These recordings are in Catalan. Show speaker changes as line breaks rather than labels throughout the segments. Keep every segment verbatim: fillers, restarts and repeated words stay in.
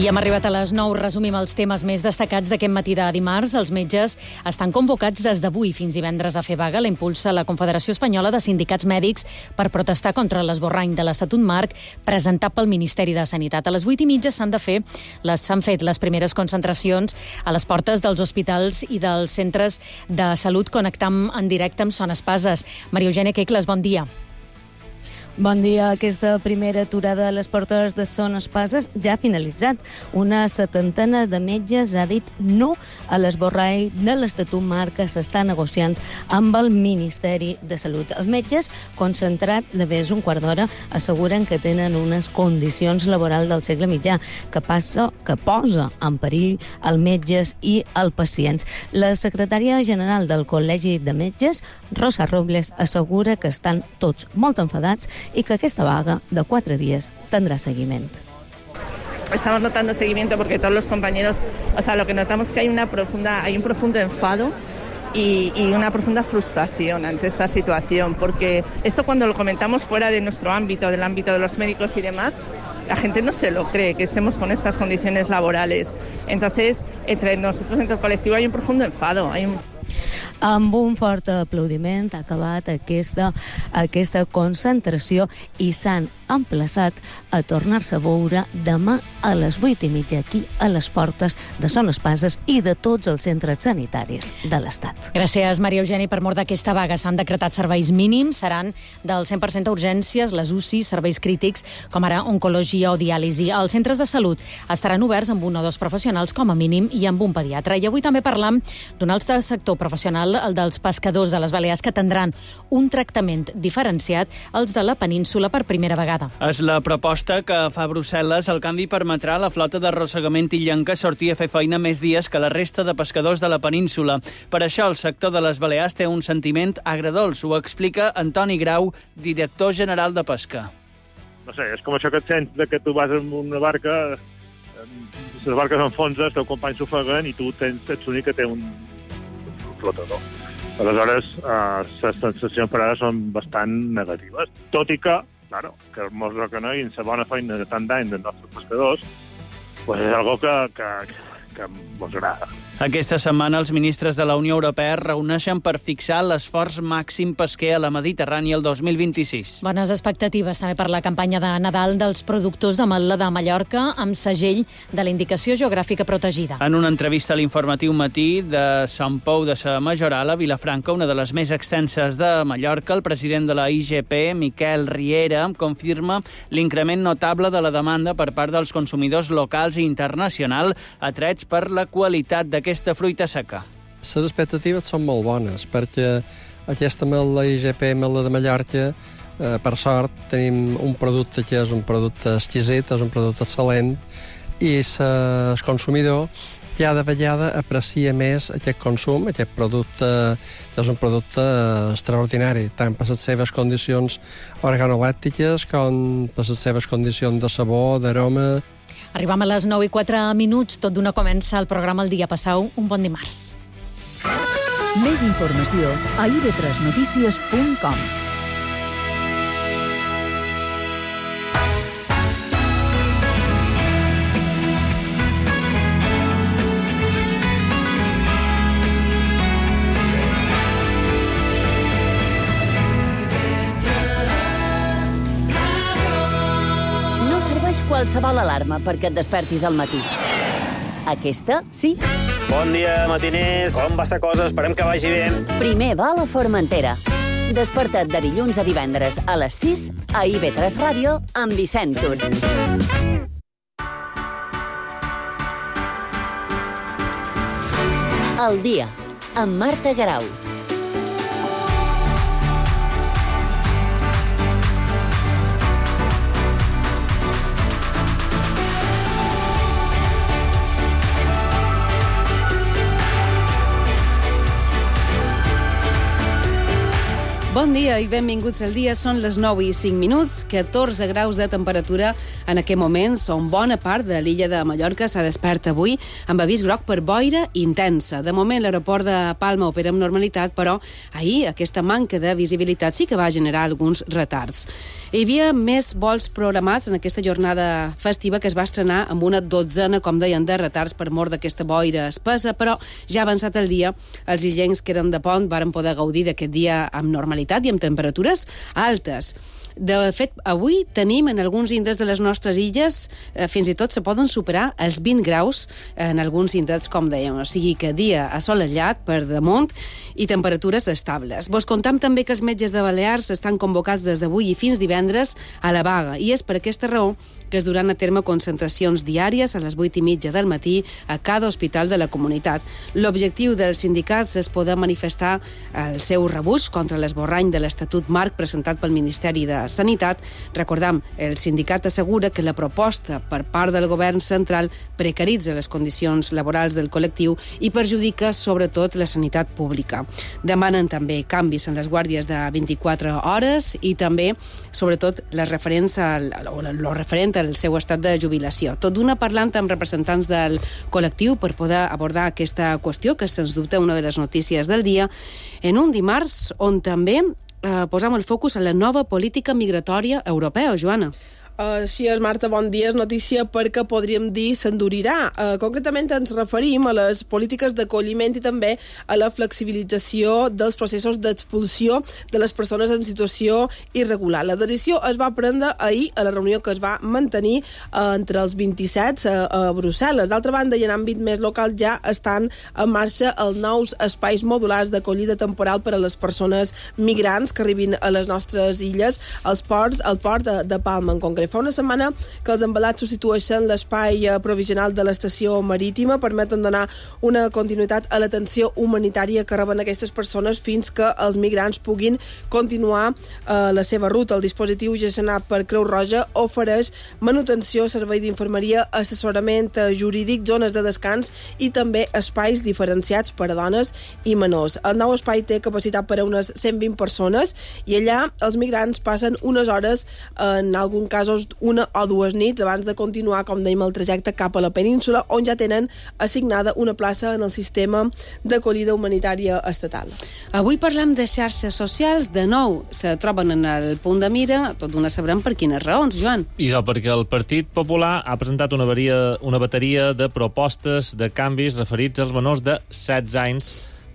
I hem arribat a les nou. Resumim els temes més destacats d'aquest matí de dimarts. Els metges estan convocats des d'avui fins divendres a fer vaga. La impulsa la Confederació Espanyola de Sindicats Mèdics per protestar contra l'esborrany de l'Estatut Marc presentat pel Ministeri de Sanitat. A les vuit i mitja s'han de fer, les s'han fet les primeres concentracions a les portes dels hospitals i dels centres de salut, connectant en directe amb Son Espases. Maria Eugènia Quecles, bon dia.
Bon dia. Aquesta primera aturada a les portes de Son Espases ja ha finalitzat. Una setantena de metges ha dit no a l'esborrany de l'Estatut Marc que s'està negociant amb el Ministeri de Salut. Els metges, concentrat de més un quart d'hora, asseguren que tenen unes condicions laborals del segle mitjà que passa, que posa en perill els metges i els pacients. La secretària general del Col·legi de Metges, Rosa Robles, assegura que estan tots molt enfadats y que esta vaga de cuatro días tendrá seguimiento.
Estamos notando seguimiento porque todos los compañeros, o sea, lo que notamos es que hay una profunda, hay un profundo enfado y, y una profunda frustración ante esta situación, porque esto cuando lo comentamos fuera de nuestro ámbito, del ámbito de los médicos y demás, la gente no se lo cree, que estemos con estas condiciones laborales. Entonces, entre nosotros, entre el colectivo, hay un profundo enfado, hay un...
Amb un fort aplaudiment ha acabat aquesta, aquesta concentració i s'han emplaçat a tornar-se a veure demà a les vuit i mitja aquí a les portes de Son Espases i de tots els centres sanitaris de l'Estat.
Gràcies, Maria Eugènia. Per mort d'aquesta vaga s'han decretat serveis mínims, seran del cent per cent d'urgències, les U C I, serveis crítics, com ara oncologia o diàlisi. Els centres de salut estaran oberts amb un o dos professionals com a mínim i amb un pediatre. I avui també parlam d'un altre sector professional, el dels pescadors de les Balears, que tindran un tractament diferenciat als de la península per primera vegada.
És la proposta que fa Brussel·les. El canvi permetrà a la flota d'arrossegament illenca sortir a fer feina més dies que la resta de pescadors de la península. Per això el sector de les Balears té un sentiment agredolç. Ho explica Antoni Grau, director general de Pesca.
No sé, és com això que et sents de que tu vas en una barca, les barques s'enfonsen, els teus companys s'ofeguen i tu tens, ets l'únic que té un flotador. Aleshores, eh, les sensacions per ara són bastant negatives. Tot i que, claro, que ens reconeguin la bona feina de tant d'any dels nostres pescadors, pues és algo que, que, que ens agrada.
Aquesta setmana els ministres de la Unió Europea es reuneixen per fixar l'esforç màxim pesquer a la Mediterrània el dos mil vint-i-sis.
Bones expectatives també per la campanya de Nadal dels productors d'ametla de Mallorca amb segell de la indicació geogràfica protegida.
En una entrevista a l'informatiu Matí de Sant Pou de sa Majoral a Vilafranca, una de les més extenses de Mallorca, el president de la I G P, Miquel Riera, confirma l'increment notable de la demanda per part dels consumidors locals i internacional atrets per la qualitat de aquesta fruita seca.
Les expectatives són molt bones, perquè aquesta ametla I G P, ametla de Mallorca, eh, per sort, tenim un producte que és un producte exquisit, és un producte excel·lent, i el consumidor cada vegada aprecia més aquest consum, aquest producte, que és un producte extraordinari, tant per les seves condicions organolèptiques com per les seves condicions de sabor, d'aroma.
Arribam a les nou i quatre minuts, tot d'una comença el programa El Dia. Passau un bon dimarts.
Més informació a i ve tres notícies punt com.
Qualsevol alarma perquè et despertis al matí. Aquesta, sí.
Bon dia, matiners. Com va la cosa? Esperem que vagi bé.
Primer va a la Formentera. Desperta't de dilluns a divendres a les sis a i ve tres Ràdio amb Vicent Tur. El Dia, amb Marta Garau.
Bon dia i benvinguts al dia. Són les nou i cinc minuts, catorze graus de temperatura en aquest moment. Són bona part de l'illa de Mallorca s'ha despert avui amb avís groc per boira intensa. De moment l'aeroport de Palma opera amb normalitat, però ahir aquesta manca de visibilitat sí que va generar alguns retards. Hi havia més vols programats en aquesta jornada festiva que es va estrenar amb una dotzena, com deien, de retards per mort d'aquesta boira espessa, però ja avançat el dia, els illencs que eren de pont varen poder gaudir d'aquest dia amb normalitat i amb temperatures altes. De fet, avui tenim en alguns indrets de les nostres illes, eh, fins i tot se poden superar els vint graus en alguns indrets, com dèiem. O sigui que dia assolellat per damunt i temperatures estables. Vos contam també que els metges de Balears estan convocats des d'avui i fins divendres a la vaga, i és per aquesta raó que es duran a terme concentracions diàries a les vuit i mitja del matí a cada hospital de la comunitat. L'objectiu dels sindicats és poder manifestar el seu rebuig contra l'esborrany de l'Estatut Marc presentat pel Ministeri de Sanitat. Recordam, el sindicat assegura que la proposta per part del govern central precaritza les condicions laborals del col·lectiu i perjudica sobretot la sanitat pública. Demanen també canvis en les guàrdies de vint-i-quatre hores i també, sobretot, les referents al, o lo referent al seu estat de jubilació. Tot d'una parlant amb representants del col·lectiu per poder abordar aquesta qüestió, que sens dubte una de les notícies del dia, en un dimarts on també eh, posam el focus en la nova política migratòria europea, Joana.
Així uh, és, Marta, bon dia. És notícia perquè podríem dir s'endurirà. Uh, concretament ens referim a les polítiques d'acolliment i també a la flexibilització dels processos d'expulsió de les persones en situació irregular. La decisió es va prendre ahir a la reunió que es va mantenir uh, entre els vint-i-set uh, a Brussel·les. D'altra banda, i en àmbit més local, ja estan en marxa els nous espais modulars d'acollida temporal per a les persones migrants que arribin a les nostres illes, als ports, al port de, de Palma en concret. Fa una setmana que els embalats substitueixen l'espai provisional de l'estació marítima, permeten donar una continuïtat a l'atenció humanitària que reben aquestes persones fins que els migrants puguin continuar eh, la seva ruta. El dispositiu gestionat per Creu Roja ofereix manutenció, servei d'infermeria, assessorament jurídic, zones de descans i també espais diferenciats per a dones i menors. El nou espai té capacitat per a unes cent vint persones i allà els migrants passen unes hores, en algun cas una o dues nits abans de continuar, com dèiem, el trajecte cap a la península, on ja tenen assignada una plaça en el sistema d'acollida humanitària estatal.
Avui parlem de xarxes socials. De nou se troben en el punt de mira, tot d'una sabrem per quines raons, Joan.
I no, perquè el Partit Popular ha presentat una, varia, una bateria de propostes de canvis referits als menors de setze anys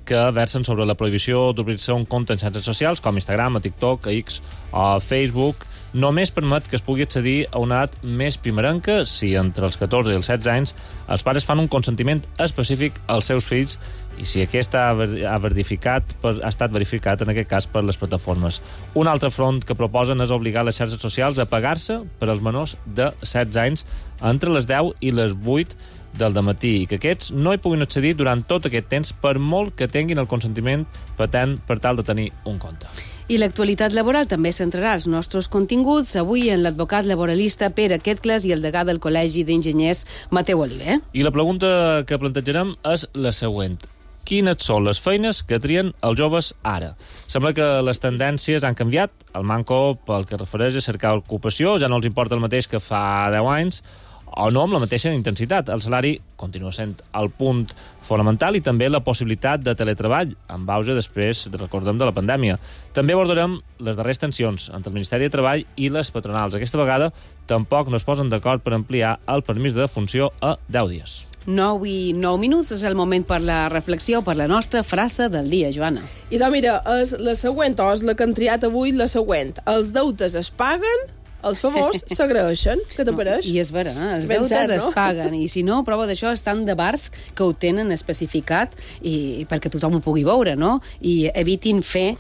que versen sobre la prohibició d'obrir-se un compte en xarxes socials com Instagram, a TikTok, a X o a Facebook. Només permet que es pugui accedir a una edat més primerenca si entre els catorze i els setze anys els pares fan un consentiment específic als seus fills i si aquest ha, ha, verificat, ha estat verificat en aquest cas per les plataformes. Un altre front que proposen és obligar les xarxes socials a pagar-se per als menors de setze anys entre les deu i les vuit del dematí i que aquests no hi puguin accedir durant tot aquest temps per molt que tinguin el consentiment patent per tal de tenir un compte.
I l'actualitat laboral també centrarà els nostres continguts avui en l'advocat laboralista Pere Quetcles i el degà del Col·legi d'Enginyers Mateu Oliver.
I la pregunta que plantejarem és la següent. Quines són les feines que trien els joves ara? Sembla que les tendències han canviat. El manco, pel que refereix a cercar ocupació, ja no els importa el mateix que fa deu anys, o no amb la mateixa intensitat. El salari continua sent el punt fonamental i també la possibilitat de teletreball, amb auge després, recordem, de la pandèmia. També abordarem les darreres tensions entre el Ministeri de Treball i les patronals. Aquesta vegada tampoc no es posen d'acord per ampliar el permís de defunció a deu dies.
nou i nou minuts és el moment per la reflexió, per la nostra frase del dia, Joana.
I doncs mira, és la següent, o és la que han triat avui, la següent. Els deutes es paguen, els favors s'agraeixen. Què t'apareix?
I és vera, eh? Els
ben
deutes
cert, no?
es paguen. I si no, prova d'això estan de bars que ho tenen especificat i perquè tothom ho pugui veure, no? I evitin fer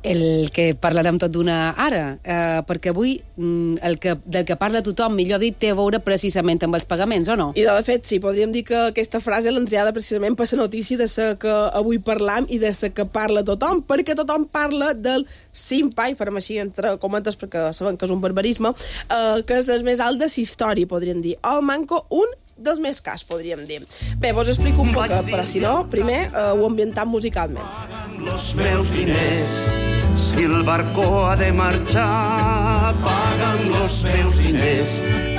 el que parlarem tot d'una ara, eh, perquè avui el que, del que parla tothom, millor dit, té a veure precisament amb els pagaments, o no?
I de fet, sí, podríem dir que aquesta frase l'han triada precisament per la notícia de la que avui parlam i de la que parla tothom, perquè tothom parla del SIMPA, i farem així entre comentes perquè saben que és un barbarisme, eh, que és el més alt de la història, podríem dir. El manco, un dels més cars, podríem dir. Bé, vos explico un poc, però si no, primer eh, ho ambientam musicalment.
Los meus diners Si el barco ha de marxar, paga'm los meus diners,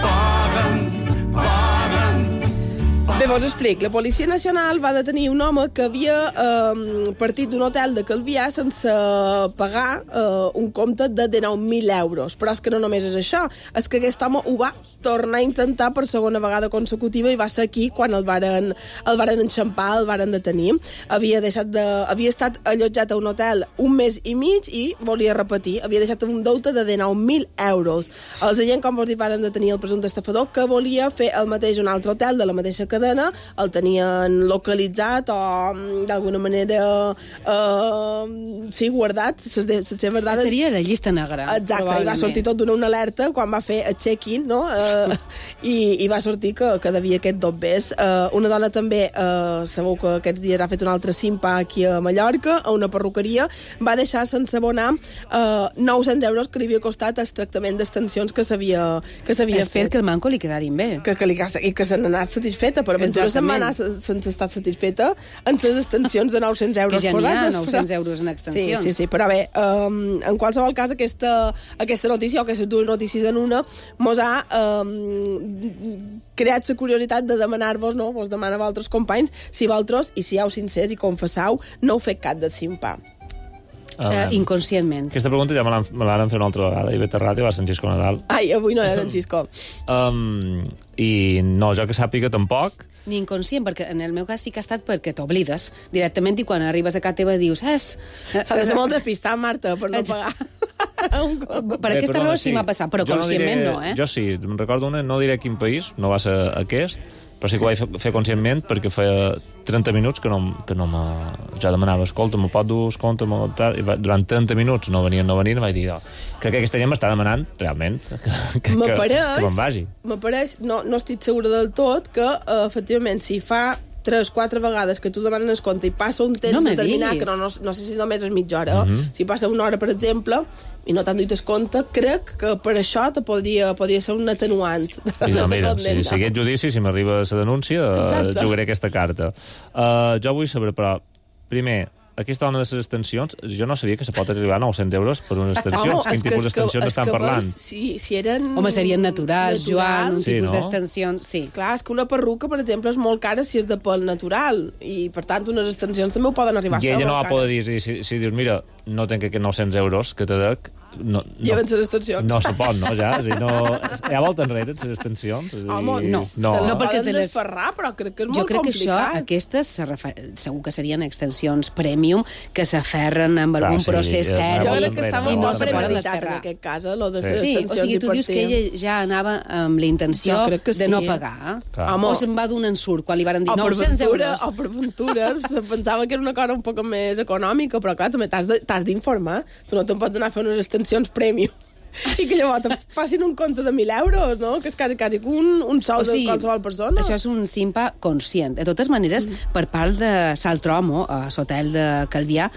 paga'm, paga'm.
Bé, vos explic. La Policia Nacional va detenir un home que havia eh, partit d'un hotel de Calvià sense pagar eh, un compte de dinou mil euros. Però és que no només és això, és que aquest home ho va tornar a intentar per segona vegada consecutiva i va ser aquí quan el varen, el varen enxampar, el varen detenir. Havia, deixat de, havia estat allotjat a un hotel un mes i mig i volia repetir. Havia deixat un deute de dinou mil euros. Els agents, com vos dic, varen detenir el presumpte estafador que volia fer el mateix un altre hotel de la mateixa cadena, el tenien localitzat o d'alguna manera eh, sí, guardat les seves dades.
Estaria a la llista negra.
Exacte, i va sortir tot d'una una alerta quan va fer el check-in, no? Eh, i, i va sortir que, que devia aquest dobbers. Eh, una dona també, eh, sabeu que aquests dies ha fet un altre simpa aquí a Mallorca, a una perruqueria, va deixar sense abonar eh, nou-cents euros que li havia costat el tractament d'extensions que s'havia que s'havia fet.
Espero que el manco li quedarin bé.
Que, que li, I que se n'anés satisfeta, però aventura se'n va anar sense estar satisfeta en les extensions de nou-cents euros.
Que ja n'hi ha, nou-cents euros en extensions.
Sí, sí, sí, però bé, um, en qualsevol cas, aquesta, aquesta notícia, o aquestes dues notícies en una, mos ha um, creat la curiositat de demanar-vos, no? Vos demana a altres companys, si vosaltres, i sigueu sincers i confessau, no heu fet cap de simpa.
Uh, uh, inconscientment.
Aquesta pregunta ja me l'han fet una altra vegada. I Beta Ràdio va Sant Xisco Nadal.
Ai, avui no era en Xisco.
um, I no, jo que sàpiga tampoc.
Ni inconscient, perquè en el meu cas sí que ha estat perquè t'oblides directament i quan arribes a casa teva dius és...
S'ha de ser molt despistat, Marta, per no pagar.
Per aquesta raó sí m'ha passat, però conscientment no, eh?
Jo sí, me'n recordo una, no diré quin país, no va ser aquest, però sí que ho vaig fer conscientment perquè feia trenta minuts que no, que no me... Ja demanava, escolta, me pot dur compte, i durant trenta minuts no venien, no venien, i vaig dir, oh, crec que aquesta gent m'està demanant, realment, que, que, que, que me'n vagi.
M'apareix, no, no estic segura del tot, que uh, efectivament, si fa tres, quatre vegades que tu demanes compte i passa un temps
no
determinat, que no, no, no sé si només és mitja hora, mm -hmm. si passa una hora, per exemple, i no t'han dit el compte, crec que per això te podria, podria ser un atenuant.
I no, mira, si, si aquest judici, si m'arriba la denúncia, uh, jugaré aquesta carta. Uh, jo vull saber, però, primer, aquesta dona de les extensions, jo no sabia que se pot arribar a nou-cents euros per unes extensions. Quin tipus d'extensions estan parlant?
Si, si eren...
Home, serien naturals, naturals Joan, un
sí,
tipus
no?
d'extensions, sí.
Clar, és que una perruca, per exemple, és molt cara si és de pèl natural, i, per tant, unes extensions també ho poden arribar a ser.
I ella no va poder dir, si, si dius, mira, no tenc aquests nou-cents euros que te dec, no, no,
lleven les extensions.
No se pot, no, ja? Si no, hi ha volta enrere, les extensions? És
Home,
dir,
no.
No,
te
no perquè
poden
te les...
desferrar, però crec que és
jo
molt
crec
complicat.
Jo crec que això, aquestes, se refer... segur que serien extensions premium, que s'aferren amb algun
sí,
procés
sí,
tèrmic.
Jo crec que estava
no,
molt
no
premeditat en aquest cas, eh, lo de
sí.
les
Sí,
extensions.
o sigui, tu dius que ella ja anava amb la intenció
de
sí. no pagar.
Home,
o se'n va d'un ensurt, quan li van dir
o
nou-cents euros.
O per aventura, se pensava que era una cosa un poc més econòmica, però clar, també t'has d'informar. Tu no te'n pots anar a fer unes extensions premium i que llavors te passin un compte de mil euros, no? Que és quasi, quasi un, un sou o sigui, de qualsevol persona.
Això és un simpa conscient. De totes maneres, mm. per part de Saltromo, a l'hotel de Calvià,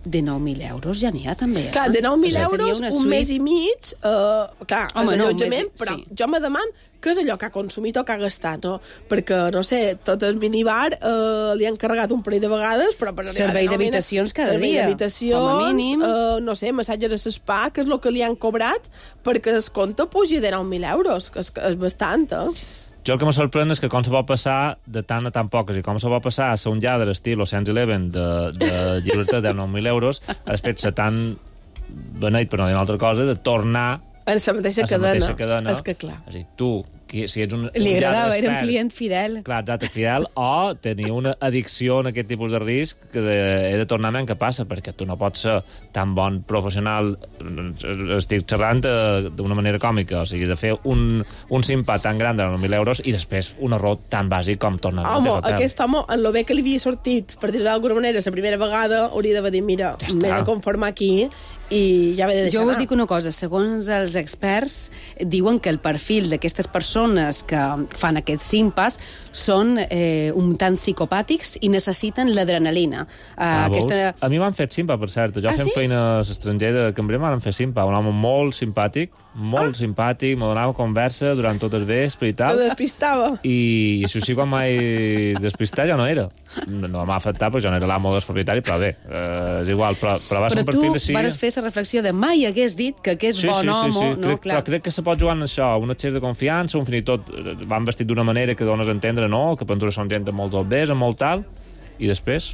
de nou mil euros ja n'hi ha, també. Eh?
Clar, de nou mil euros, un
suite...
mes i mig, uh, clar,
Home,
és
no,
allotjament,
mes...
però
sí.
jo me deman què és allò que ha consumit o que ha gastat, no? Perquè, no sé, tot el minibar uh, li han carregat un parell de vegades, però per arribar
servei
a
d'habitacions cada
servei
dia.
d'habitacions,
com a mínim.
Uh, no sé, massatge de spa, que és el que li han cobrat perquè el compte pugi de nou mil euros, que és, que és bastant, eh?
Jo el que me sorprèn és que com se pot passar de tant a tan poques i com se pot passar a ser un lladre estil Ocean's Eleven de, de llibertat de nou mil euros a després ser tan beneit, per no dir una altra cosa, de tornar
en la mateixa
a
cadena.
mateixa cadena.
És que clar.
És a dir, tu, que, si ets un,
li
un
agradava,
expert,
era un client fidel.
Clar, exacte, fidel, o tenir una addicció en aquest tipus de risc que de, he de tornar a què passa, perquè tu no pots ser tan bon professional, estic xerrant d'una manera còmica, o sigui, de fer un, un simpa tan gran de nou mil euros i després un error tan bàsic com tornar a
home, aquest home, en lo bé que li havia sortit, per dir-ho d'alguna manera, la primera vegada, hauria d'haver dit, mira, ja m'he de conformar aquí i ja m'he de deixar
Jo us
anar.
dic una cosa, segons els experts diuen que el perfil d'aquestes persones que fan aquests simpas són eh, un tant psicopàtics i necessiten l'adrenalina. Uh,
ah,
aquesta...
A mi m'han fet simpa, per cert. Jo
ah,
fent
sí?
feina a l'estranger de cambrer m'han fet simpa. Un home molt simpàtic, molt ah. simpàtic, me donava conversa durant tot el vespre i tal.
Te despistava.
I això sí, quan m'he despistat ja no era. No, no m'ha afectat, perquè jo no era l'amo dels propietaris, però bé, eh, és igual. Però, però va ser
però
un perfil
tu
així...
vas fer aquesta reflexió de mai hagués dit que aquest
sí,
bon
sí,
home...
Sí, sí.
No,
crec, clar. crec que se pot jugar en això, un excés de confiança, un fins i tot van vestit d'una manera que dones a entendre, no?, que Ventura són gent molt d'obès, molt tal, i després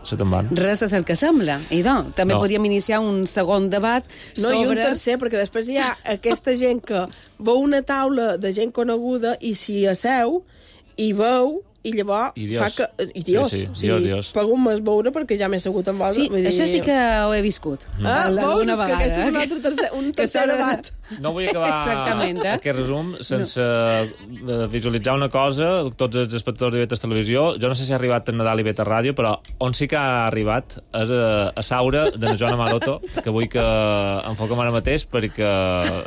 se te'n van.
Res és el que sembla. I no, també
no.
podríem iniciar un segon debat
no,
sobre...
No, i un tercer, perquè després hi ha aquesta gent que veu una taula de gent coneguda i s'hi asseu i veu i llavors
Idios.
fa que... Idios.
Sí, sí,
o sigui,
Dios, Dios.
Pago un mes veure perquè ja m'he assegut amb vosaltres.
Sí, això sí que ho he viscut.
Mm. Ah, veus? És
vegada,
que aquest és un altre tercer, un tercer debat.
No vull acabar
Exactament, eh?
aquest resum sense no. visualitzar una cosa, tots els espectadors de Betes Televisió. Jo no sé si ha arribat a Nadal i Betes Ràdio, però on sí que ha arribat és a, a Saura de la Joana Maroto, que vull que enfoquem ara mateix, perquè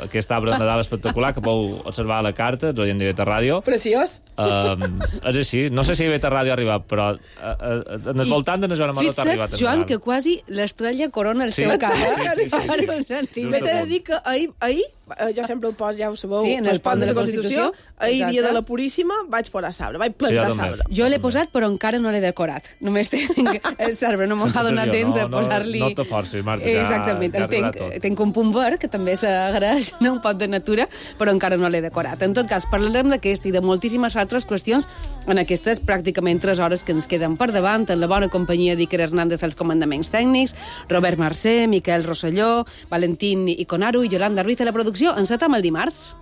aquest arbre de Nadal espectacular que podeu observar a la carta, els oients de Betes Ràdio.
Preciós.
Um, és així. No sé si Betes Ràdio ha arribat, però uh, uh, en el voltant de la Joana Maroto ha arribat a Nadal.
Joan, que quasi l'estrella corona el
sí,
seu cap.
Sí, sí, sí, sí.
M'he de dir que ahir, ahir jo sempre el poso, ja ho sabeu,
sí, en el pont de la Constitució,
ahir, dia de la Puríssima, vaig posar sabre, vaig plantar
sí,
sabre.
Jo l'he posat, però encara no l'he decorat. Només tinc el sabre, no m'ha donat temps
no,
a posar-li...
No, no te forcis, Marta,
Exactament,
ja, ja
el tenc, tenc un punt verd, que també s'agraeix, no? Un pot de natura, però encara no l'he decorat. En tot cas, parlarem d'aquest i de moltíssimes altres qüestions en aquestes pràcticament tres hores que ens queden per davant, en la bona companyia d'Iker Hernández als comandaments tècnics, Robert Mercè, Miquel Rosselló, Valentín Iconaru i Yolanda Ruiz a la producció. Encetem el dimarts.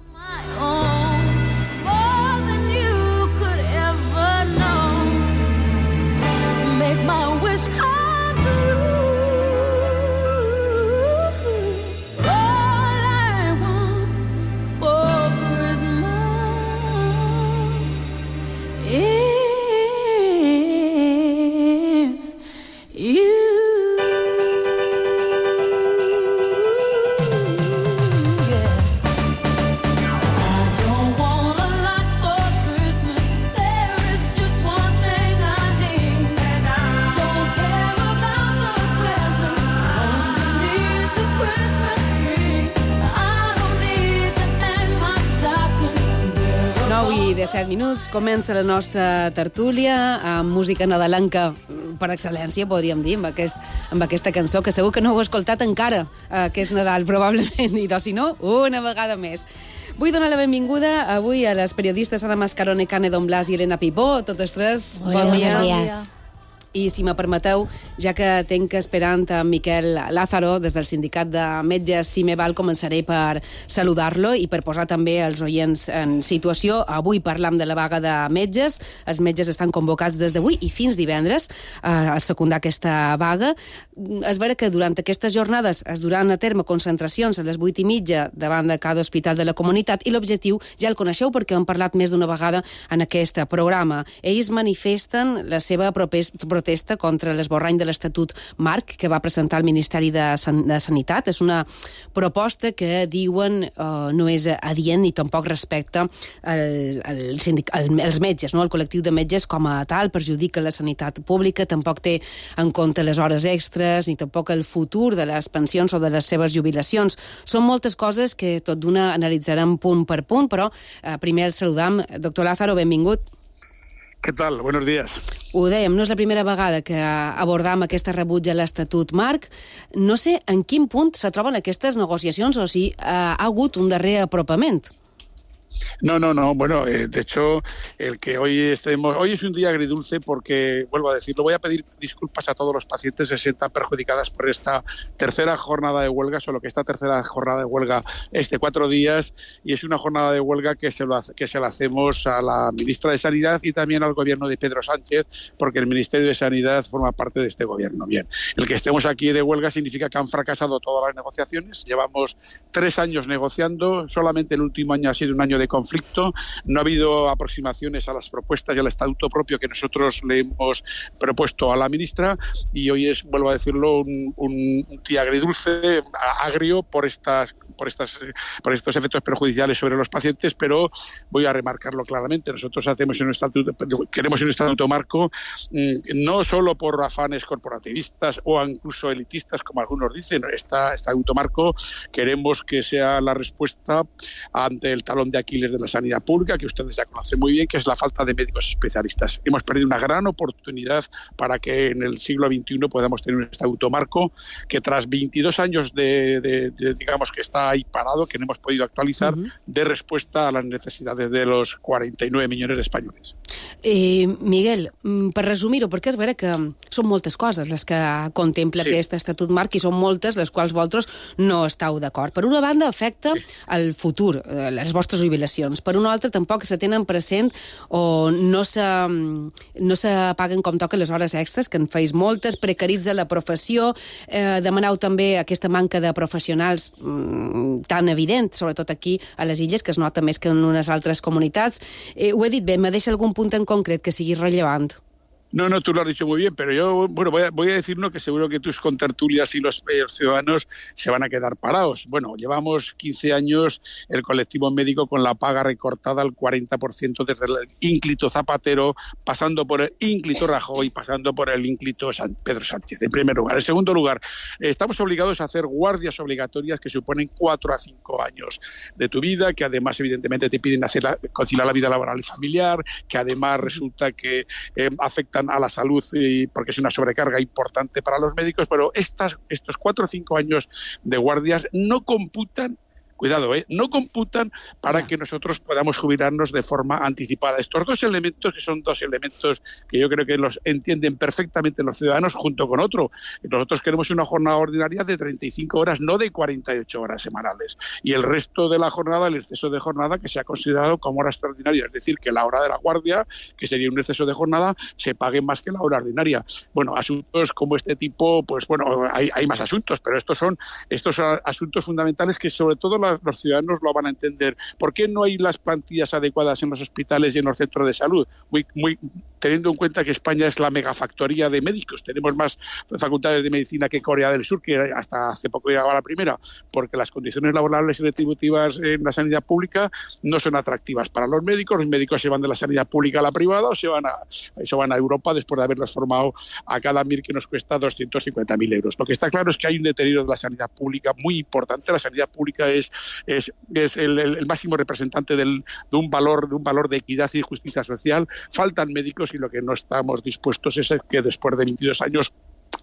set minuts, comença la nostra tertúlia amb música nadalenca per excel·lència, podríem dir, amb, aquest, amb aquesta cançó, que segur que no heu escoltat encara, eh, que és Nadal, probablement, i si no, una vegada més. Vull donar la benvinguda avui a les periodistes Ana Mascarone, Cane Don Blas i Elena Pipó, totes tres.
Hola,
bon dia.
Bon dia.
I si me permeteu, ja que tenc esperant a Miquel Lázaro des del sindicat de metges Cimeval, començaré per saludar-lo i per posar també els oients en situació. Avui parlam de la vaga de metges. Els metges estan convocats des d'avui i fins divendres a secundar aquesta vaga. És vera que durant aquestes jornades es duran a terme concentracions a les vuit i mitja davant de cada hospital de la comunitat i l'objectiu ja el coneixeu perquè hem parlat més d'una vegada en aquest programa. Ells manifesten la seva protesta contra l'esborrany de l'Estatut Marc que va presentar el Ministeri de, San de Sanitat. És una proposta que diuen eh, no és adient ni tampoc respecta el, el sindic, el, els metges, no? El col·lectiu de metges com a tal, perjudica la sanitat pública, tampoc té en compte les hores extres ni tampoc el futur de les pensions o de les seves jubilacions. Són moltes coses que tot d'una analitzarem punt per punt, però eh, primer el saludam. Doctor Lázaro, benvingut.
¿Qué tal? Buenos días.
Ho dèiem, no és la primera vegada que abordam aquesta rebuig a l'Estatut Marc. No sé en quin punt se troben aquestes negociacions o si eh, ha hagut un darrer apropament.
No, no, no. Bueno, eh, de hecho, el que hoy estemos... Hoy es un día agridulce porque, vuelvo a decirlo, voy a pedir disculpas a todos los pacientes que se sientan perjudicadas por esta tercera jornada de huelga, solo que esta tercera jornada de huelga es de cuatro días y es una jornada de huelga que se, lo hace, que se la hacemos a la ministra de Sanidad y también al gobierno de Pedro Sánchez, porque el Ministerio de Sanidad forma parte de este gobierno. Bien, el que estemos aquí de huelga significa que han fracasado todas las negociaciones. Llevamos tres años negociando, solamente el último año ha sido un año de conflicto, no ha habido aproximaciones a las propuestas y al estatuto propio que nosotros le hemos propuesto a la ministra y hoy es, vuelvo a decirlo, un, un, un día agridulce, agrio por estas por, estas, por estos efectos perjudiciales sobre los pacientes, pero voy a remarcarlo claramente. Nosotros hacemos un estatuto, queremos un estatuto marco no solo por afanes corporativistas o incluso elitistas, como algunos dicen. Esta estatuto marco queremos que sea la respuesta ante el talón de Aquiles de la sanidad pública, que ustedes ya conocen muy bien, que es la falta de médicos especialistas. Hemos perdido una gran oportunidad para que en el siglo veintiuno podamos tener un estatuto marco que tras veintidós años de, de, de digamos que está ahí parado, que no hemos podido actualizar, uh-huh. dé respuesta a las necesidades de los cuarenta y nueve millones de españoles.
Eh, Miguel, per resumir-ho, perquè és vera que són moltes coses les que contempla sí. aquest estatut marc i són moltes les quals vosaltres no esteu d'acord. Per una banda, afecta sí. el futur, les vostres jubilacions. Per una altra, tampoc se tenen present o no se, no se paguen com toca les hores extres, que en feis moltes, precaritza la professió, eh, demaneu també aquesta manca de professionals mm, tan evident, sobretot aquí a les illes, que es nota més que en unes altres comunitats. Eh, ho he dit bé, me deixa algun punt en concret que sigui rellevant?
No, no, tú lo has dicho muy bien, pero yo, bueno, voy a, voy a decir uno que seguro que tus contertulias y los, los ciudadanos se van a quedar parados. Bueno, llevamos quince años el colectivo médico con la paga recortada al cuarenta por ciento desde el ínclito Zapatero, pasando por el ínclito Rajoy, pasando por el ínclito San Pedro Sánchez, en primer lugar. En segundo lugar, estamos obligados a hacer guardias obligatorias que suponen cuatro a cinco años de tu vida, que además evidentemente te piden hacer la, conciliar la vida laboral y familiar, que además resulta que eh, afectan a la salud y porque es una sobrecarga importante para los médicos, pero estas, estos cuatro o cinco años de guardias no computan, cuidado, ¿eh? no computan para yeah. que nosotros podamos jubilarnos de forma anticipada. Estos dos elementos, que son dos elementos que yo creo que los entienden perfectamente los ciudadanos, junto con otro. Nosotros queremos una jornada ordinaria de treinta y cinco horas, no de cuarenta y ocho horas semanales. Y el resto de la jornada, el exceso de jornada, que se ha considerado como hora extraordinaria. Es decir, que la hora de la guardia, que sería un exceso de jornada, se pague más que la hora ordinaria. Bueno, asuntos como este tipo, pues bueno, hay, hay más asuntos, pero estos son estos son asuntos fundamentales que sobre todo la los ciudadanos lo van a entender. ¿Por qué no hay las plantillas adecuadas en los hospitales y en los centros de salud? Muy, muy, teniendo en cuenta que España es la megafactoría de médicos. Tenemos más facultades de medicina que Corea del Sur, que hasta hace poco llegaba la primera, porque las condiciones laborales y retributivas en la sanidad pública no son atractivas para los médicos. Los médicos se van de la sanidad pública a la privada o se van a, se van a Europa después de haberlos formado a cada M I R que nos cuesta doscientos cincuenta mil euros. Lo que está claro es que hay un deterioro de la sanidad pública muy importante. La sanidad pública es es, es el, el máximo representante del, de un valor de un valor de equidad y justicia social. Faltan médicos y lo que no estamos dispuestos es que después de veintidós años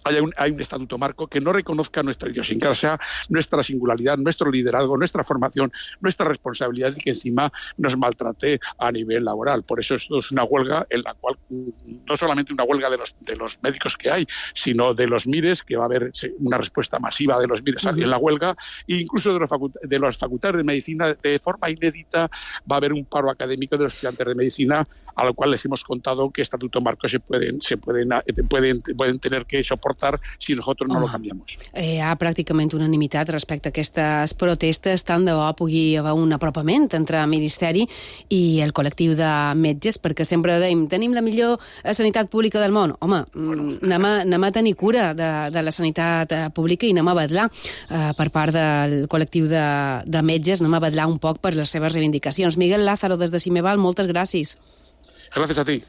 haya un, hay un estatuto marco que no reconozca nuestra idiosincrasia, nuestra singularidad, nuestro liderazgo, nuestra formación, nuestra responsabilidad y que encima nos maltrate a nivel laboral. Por eso esto es una huelga en la cual no solamente una huelga de los, de los médicos que hay, sino de los MIRES, que va a haber una respuesta masiva de los MIRES uh-huh. en la huelga, e incluso de los, faculta, de los facultades de medicina. De forma inédita va a haber un paro académico de los estudiantes de medicina, a lo cual les hemos contado que estatuto marco se pueden, se pueden, pueden, pueden tener que soportar si nosotros no Home, lo canviamos.
Eh, hi ha pràcticament unanimitat respecte a aquestes protestes, tant de bo pugui haver un apropament entre el Ministeri i el col·lectiu de metges, perquè sempre deim, tenim la millor sanitat pública del món. Home, bueno. anem, a, anem a tenir cura de, de la sanitat pública i anem a vetllar eh, per part del col·lectiu de, de metges, anem a vetllar un poc per les seves reivindicacions. Miguel Lázaro, des de Cimeval, moltes gràcies.
Gràcies a ti.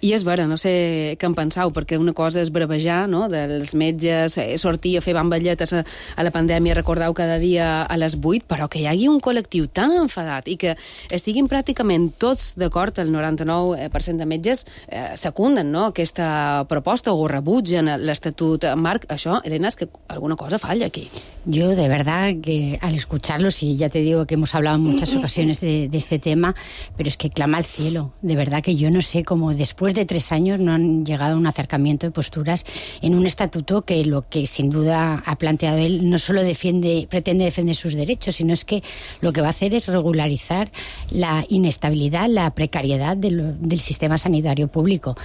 I és vera, no sé què en penseu, perquè una cosa és bravejar, no?, dels metges, eh, sortir a fer bamballetes a, a la pandèmia, recordeu cada dia a les vuit, però que hi hagi un col·lectiu tan enfadat i que estiguin pràcticament tots d'acord, el noranta-nou per cent de metges eh, secunden, no?, aquesta proposta o rebutgen l'estatut marc. Això, Elena, és que alguna cosa falla aquí.
Yo, de verdad, que al escucharlos, y ya te digo que hemos hablado en muchas ocasiones de, de este tema, pero es que clama al cielo. De verdad que yo no sé cómo después de tres años no han llegado a un acercamiento de posturas en un estatuto que lo que sin duda ha planteado él no solo defiende, pretende defender sus derechos, sino es que lo que va a hacer es regularizar la inestabilidad, la precariedad de lo, del sistema sanitario público.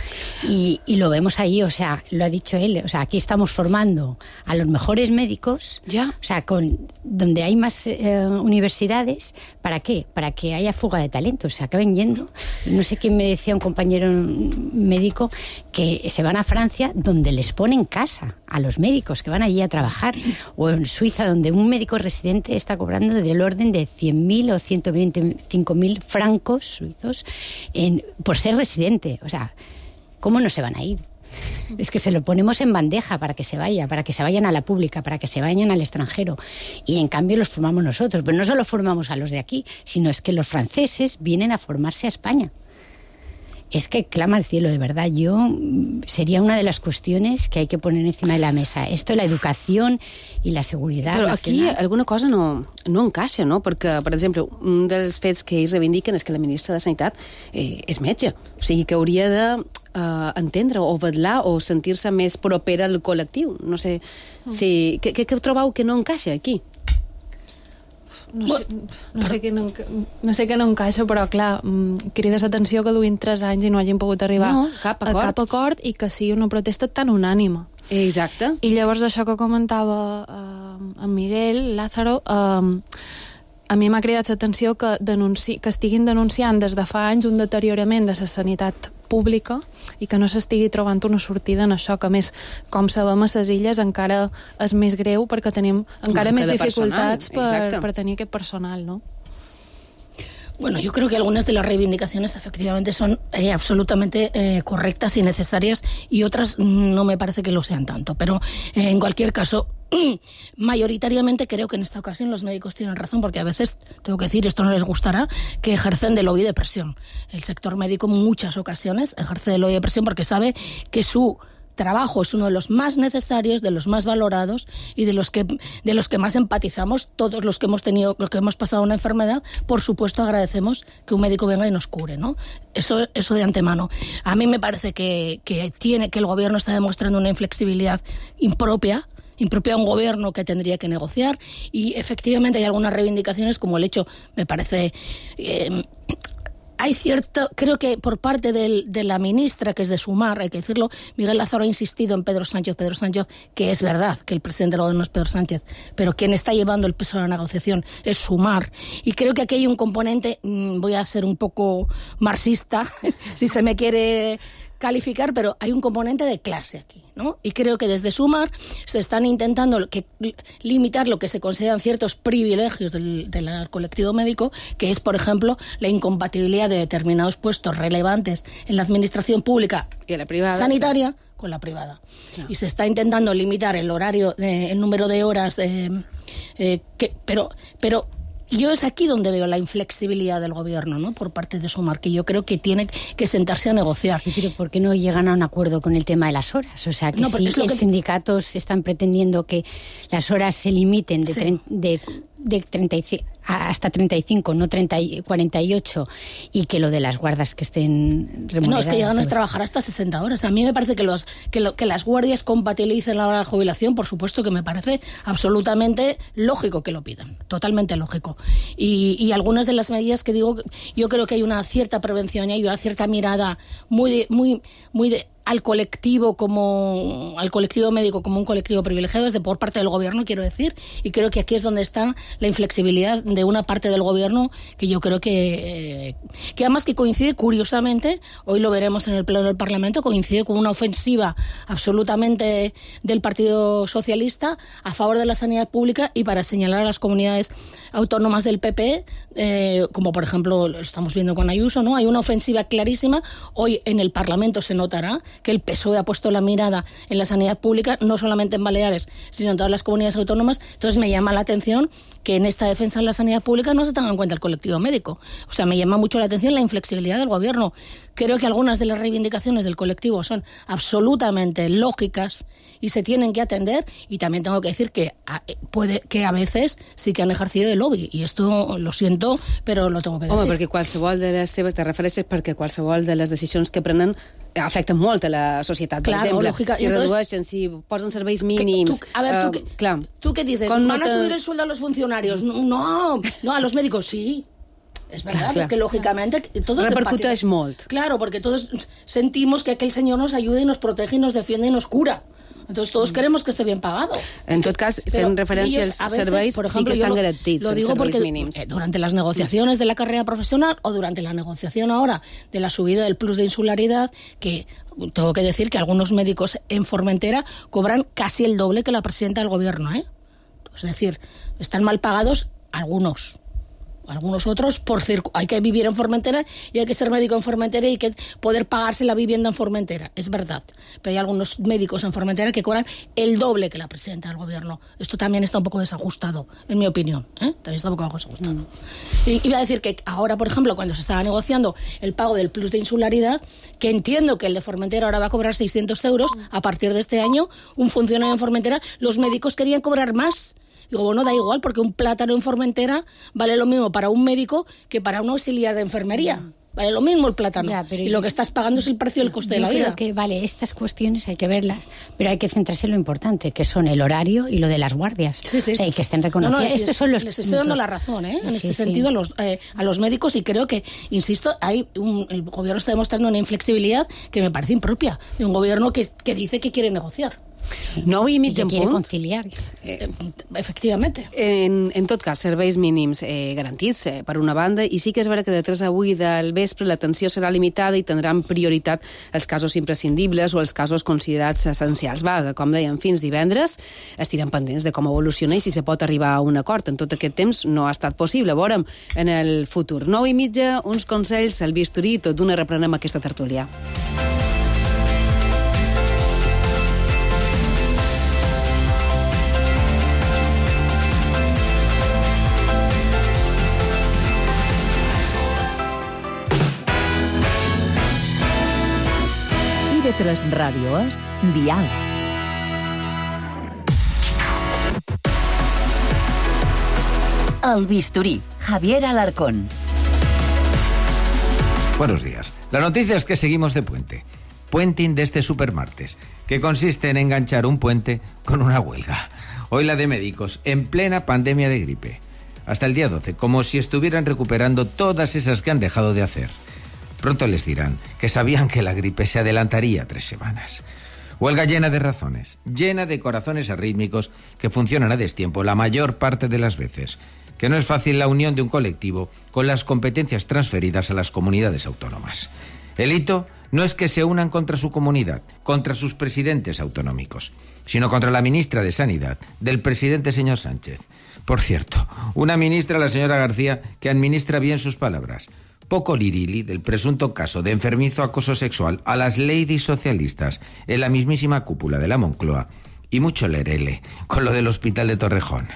Y, y lo vemos ahí, o sea, lo ha dicho él, o sea, aquí estamos formando a los mejores médicos, ya. O sea, con, donde hay más eh, universidades, ¿para qué? Para que haya fuga de talentos, se acaben yendo. No sé quién me decía, un compañero médico, que se van a Francia, donde les ponen casa a los médicos que van allí a trabajar, o en Suiza, donde un médico residente está cobrando del orden de cien mil o ciento veinticinco mil francos suizos en, por ser residente. O sea, ¿cómo no se van a ir? Es que se lo ponemos en bandeja para que se vaya, para que se vayan a la pública, para que se vayan al extranjero. Y en cambio los formamos nosotros. Pero no solo formamos a los de aquí, sino es que los franceses vienen a formarse a España. Es que clama al cielo, de verdad. Yo sería una de las cuestiones que hay que poner encima de la mesa. Esto, la educación i la seguretat.
Però aquí alguna cosa no, no encaixa, no? Perquè, per exemple, un dels fets que ells reivindiquen és que la ministra de Sanitat eh, és metge. O sigui, que hauria de eh, entendre o vetllar o sentir-se més propera al col·lectiu. No sé, si, què, què trobeu que no encaixa aquí?
No sé, no, sé que no, no sé que no encaixa, però clar, crides atenció que duguin tres anys i no hagin pogut arribar
no, cap acord.
a cap acord i que sigui una protesta tan unànima.
Exacte.
I llavors això que comentava eh, en Miguel Lázaro, eh, a mi m'ha cridat l'atenció que, denunci, que estiguin denunciant des de fa anys un deteriorament de la sanitat pública i que no s'estigui trobant una sortida en això, que més, com sabem, a les illes encara és més greu perquè tenim encara més dificultats per, per tenir aquest personal, ¿no?
Bueno, yo creo que algunas de las reivindicaciones efectivamente son eh, absolutamente eh, correctas y necesarias y otras no me parece que lo sean tanto. Pero eh, en cualquier caso, mayoritariamente creo que en esta ocasión los médicos tienen razón, porque a veces, tengo que decir, esto no les gustará, que ejercen de lobby de presión. El sector médico en muchas ocasiones ejerce de lobby de presión porque sabe que su trabajo es uno de los más necesarios, de los más valorados y de los que de los que más empatizamos todos los que hemos tenido, los que hemos pasado una enfermedad. Por supuesto, agradecemos que un médico venga y nos cure, ¿no? Eso, eso de antemano. A mí me parece que, que tiene que el gobierno está demostrando una inflexibilidad impropia. impropia a un gobierno que tendría que negociar, y efectivamente hay algunas reivindicaciones, como el hecho, me parece... Eh, hay cierto, creo que por parte del, de la ministra, que es de Sumar, hay que decirlo, Miguel Lázaro ha insistido en Pedro Sánchez, Pedro Sánchez, que es verdad que el presidente del gobierno es Pedro Sánchez, pero quien está llevando el peso de la negociación es Sumar. Y creo que aquí hay un componente, voy a ser un poco marxista, si se me quiere calificar, pero hay un componente de clase aquí, ¿no? Y creo que desde Sumar se están intentando que, limitar lo que se consideran ciertos privilegios del, del colectivo médico, que es, por ejemplo, la incompatibilidad de determinados puestos relevantes en la administración pública
y la privada,
sanitaria con la privada. No. Y se está intentando limitar el horario, de, el número de horas, eh, eh, que, pero... pero yo es aquí donde veo la inflexibilidad del gobierno, ¿no? Por parte de Sumar, que yo creo que tiene que sentarse a negociar.
Sí, pero ¿por qué no llegan a un acuerdo con el tema de las horas? O sea, que no, si los que... sindicatos están pretendiendo que las horas se limiten de, sí. tre- de, de treinta y cinco hasta treinta y cinco, no treinta, cuarenta y ocho, y que lo de las guardas que estén remuneradas.
No, es que llegan a trabajar hasta sesenta horas. A mí me parece que los que, lo, que las guardias compatibilicen la hora de jubilación, por supuesto que me parece absolutamente lógico que lo pidan, totalmente lógico. Y, y algunas de las medidas que digo, yo creo que hay una cierta prevención y hay una cierta mirada muy, muy, muy de... al colectivo como al colectivo médico como un colectivo privilegiado desde por parte del gobierno, quiero decir, y creo que aquí es donde está la inflexibilidad de una parte del gobierno que yo creo que eh, que además que coincide curiosamente, hoy lo veremos en el pleno del Parlamento, coincide con una ofensiva absolutamente del Partido Socialista a favor de la sanidad pública y para señalar a las comunidades autónomas del P P, eh, como por ejemplo lo estamos viendo con Ayuso, ¿no? Hay una ofensiva clarísima. Hoy en el Parlamento se notará que el P S O E ha puesto la mirada en la sanidad pública, no solamente en Baleares, sino en todas las comunidades autónomas. Entonces me llama la atención que en esta defensa de la sanidad pública no se tenga en cuenta el colectivo médico. O sea, me llama mucho la atención la inflexibilidad del gobierno. Creo que algunas de las reivindicaciones del colectivo son absolutamente lógicas y se tienen que atender, y también tengo que decir que a, puede que a veces sí que han ejercido de lobby, i esto lo siento, però lo tengo que decir.
Home, perquè qualsevol de les seves, te refereixes perquè qualsevol de les decisions que prenen afecten molt a la societat. Per
claro,
exemple,
lógica.
si
entonces,
redueixen, si posen serveis mínims...
Tú, a ver, ¿tú, uh, qué, clar, ¿tú qué dices? ¿Van no te... a subir el sueldo a los funcionarios? No, no, a los médicos sí. Es verdad, claro, claro. Es que lógicamente todos
repercuteix molt.
Claro, porque todos sentimos que aquel señor nos ayuda y nos protege y nos defiende y nos cura. Entonces todos queremos que esté bien pagado.
En tot cas, fent referència als serveis, por ejemplo, sí que están garantits,
lo digo porque
mínims.
Durante las negociaciones de la carrera profesional o durante la negociación ahora de la subida del plus de insularidad, que tengo que decir que algunos médicos en Formentera cobran casi el doble que la presidenta del gobierno, ¿eh? Es decir, están mal pagados algunos. Algunos otros, por circu- hay que vivir en Formentera y hay que ser médico en Formentera y hay que poder pagarse la vivienda en Formentera, es verdad. Pero hay algunos médicos en Formentera que cobran el doble que la presidenta del gobierno. Esto también está un poco desajustado, en mi opinión, ¿eh? También está un poco desajustado. Mm. Y iba a decir que ahora, por ejemplo, cuando se estaba negociando el pago del plus de insularidad, que entiendo que el de Formentera ahora va a cobrar seiscientos euros a partir de este año, un funcionario en Formentera, los médicos querían cobrar más. Digo, bueno, da igual, porque un plátano en Formentera vale lo mismo para un médico que para un auxiliar de enfermería. Vale lo mismo el plátano. Ya, pero y lo que estás pagando es el precio del coste de la vida.
Yo creo que, vale, estas cuestiones hay que verlas, pero hay que centrarse en lo importante, que son el horario y lo de las guardias.
Sí, sí.
O sea, y que estén reconocidas.
No, no,
Estos son los
les estoy dando la razón, ¿eh? En
sí,
este
sí.
sentido a los, eh, a los médicos, y creo que, insisto, hay un, el gobierno está demostrando una inflexibilidad que me parece impropia de un gobierno que, que dice que quiere negociar.
nou i mig en
quiere
punt.
conciliar.
Eh, efectivamente.
En, en tot cas, serveis mínims eh, garantits, eh, per una banda, i sí que és vera que de tres a vuit del vespre l'atenció serà limitada i tindran prioritat els casos imprescindibles o els casos considerats essencials. Va, com dèiem, fins divendres estirem pendents de com evoluciona i si se pot arribar a un acord. En tot aquest temps no ha estat possible. Veurem en el futur. Nou i mitja, uns consells, el bisturí, tot d'una reprenem aquesta tertúlia.
I V tres Ràdio és Dial.
El bisturí, Javier Alarcón.
Buenos días. La noticia es que seguimos de puente. Puenting de este supermartes, que consiste en enganchar un puente con una huelga. Hoy la de médicos, en plena pandemia de gripe. Hasta el día doce, como si estuvieran recuperando todas esas que han dejado de hacer. Pronto les dirán que sabían que la gripe se adelantaría tres semanas. Huelga llena de razones, llena de corazones arrítmicos que funcionan a destiempo la mayor parte de las veces. Que no es fácil la unión de un colectivo con las competencias transferidas a las comunidades autónomas. El hito no es que se unan contra su comunidad, contra sus presidentes autonómicos, sino contra la ministra de Sanidad, del presidente señor Sánchez. Por cierto, una ministra, la señora García, que administra bien sus palabras. Poco lirili del presunto caso de enfermizo acoso sexual a las ladies socialistas en la mismísima cúpula de la Moncloa, y mucho lerele con lo del hospital de Torrejón.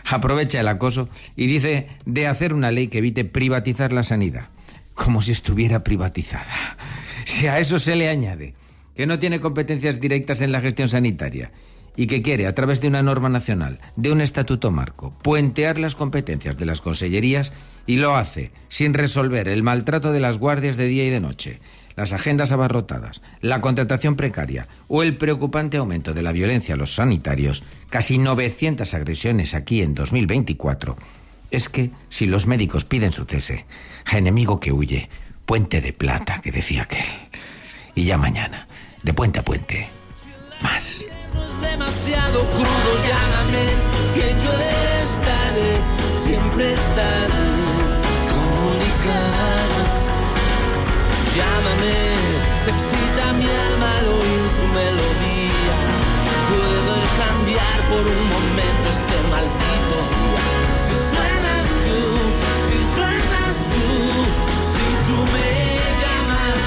Aprovecha el acoso y dice de hacer una ley que evite privatizar la sanidad, como si estuviera privatizada. Si a eso se le añade que no tiene competencias directas en la gestión sanitaria y que quiere, a través de una norma nacional, de un estatuto marco, puentear las competencias de las consellerías, y lo hace sin resolver el maltrato de las guardias de día y de noche, las agendas abarrotadas, la contratación precaria o el preocupante aumento de la violencia a los sanitarios, casi novecientas agresiones aquí en dos mil veinticuatro, es que si los médicos piden su cese, a enemigo que huye, puente de plata, que decía aquel. Y ya mañana, de puente a puente, más.
Demasiado crudo, llámame, que yo estaré, siempre estaré comunicado. Llámame, se excita mi alma al oír tu melodía. Puedo cambiar por un momento este maldito día. Si suenas tú, si suenas tú, si tú me llamas.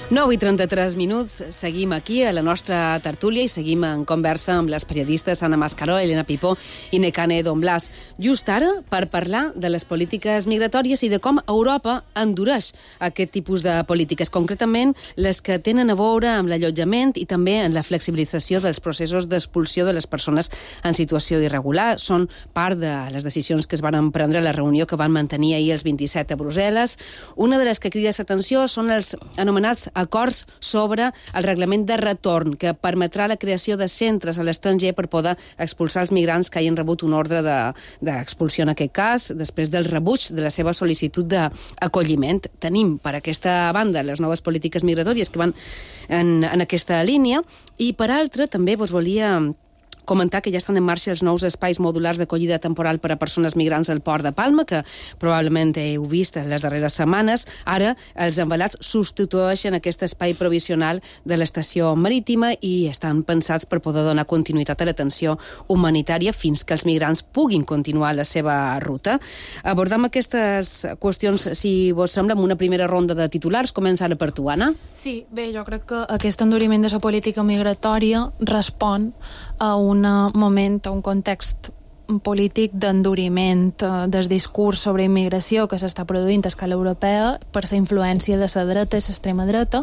nou i trenta-tres minuts, seguim aquí a la nostra tertúlia i seguim en conversa amb les periodistes Anna Mascaró, Elena Pipó i Nekane Don Blas. Just ara, per parlar de les polítiques migratòries i de com Europa endureix aquest tipus de polítiques, concretament les que tenen a veure amb l'allotjament i també en la flexibilització dels processos d'expulsió de les persones en situació irregular. Són part de les decisions que es van prendre a la reunió que van mantenir ahir els vint-i-set a Brussel·les. Una de les que crida l'atenció són els anomenats acords acords sobre el reglament de retorn que permetrà la creació de centres a l'estranger per poder expulsar els migrants que hagin rebut un ordre d'expulsió de, en aquest cas, després del rebuig de la seva sol·licitud d'acolliment. Tenim per aquesta banda les noves polítiques migratòries que van en, en aquesta línia i per altra també vos volia comentar que ja estan en marxa els nous espais modulars d'acollida temporal per a persones migrants al Port de Palma, que probablement heu vist en les darreres setmanes. Ara, els envelats substitueixen aquest espai provisional de l'estació marítima i estan pensats per poder donar continuïtat a l'atenció humanitària fins que els migrants puguin continuar la seva ruta. Abordam aquestes qüestions, si vos sembla, amb una primera ronda de titulars. Començant per tu, Anna.
Sí, bé, jo crec que aquest enduriment de la política migratòria respon a un moment, a un context polític d'enduriment del discurs sobre immigració que s'està produint a escala europea per la influència de la dreta i l'extrema dreta,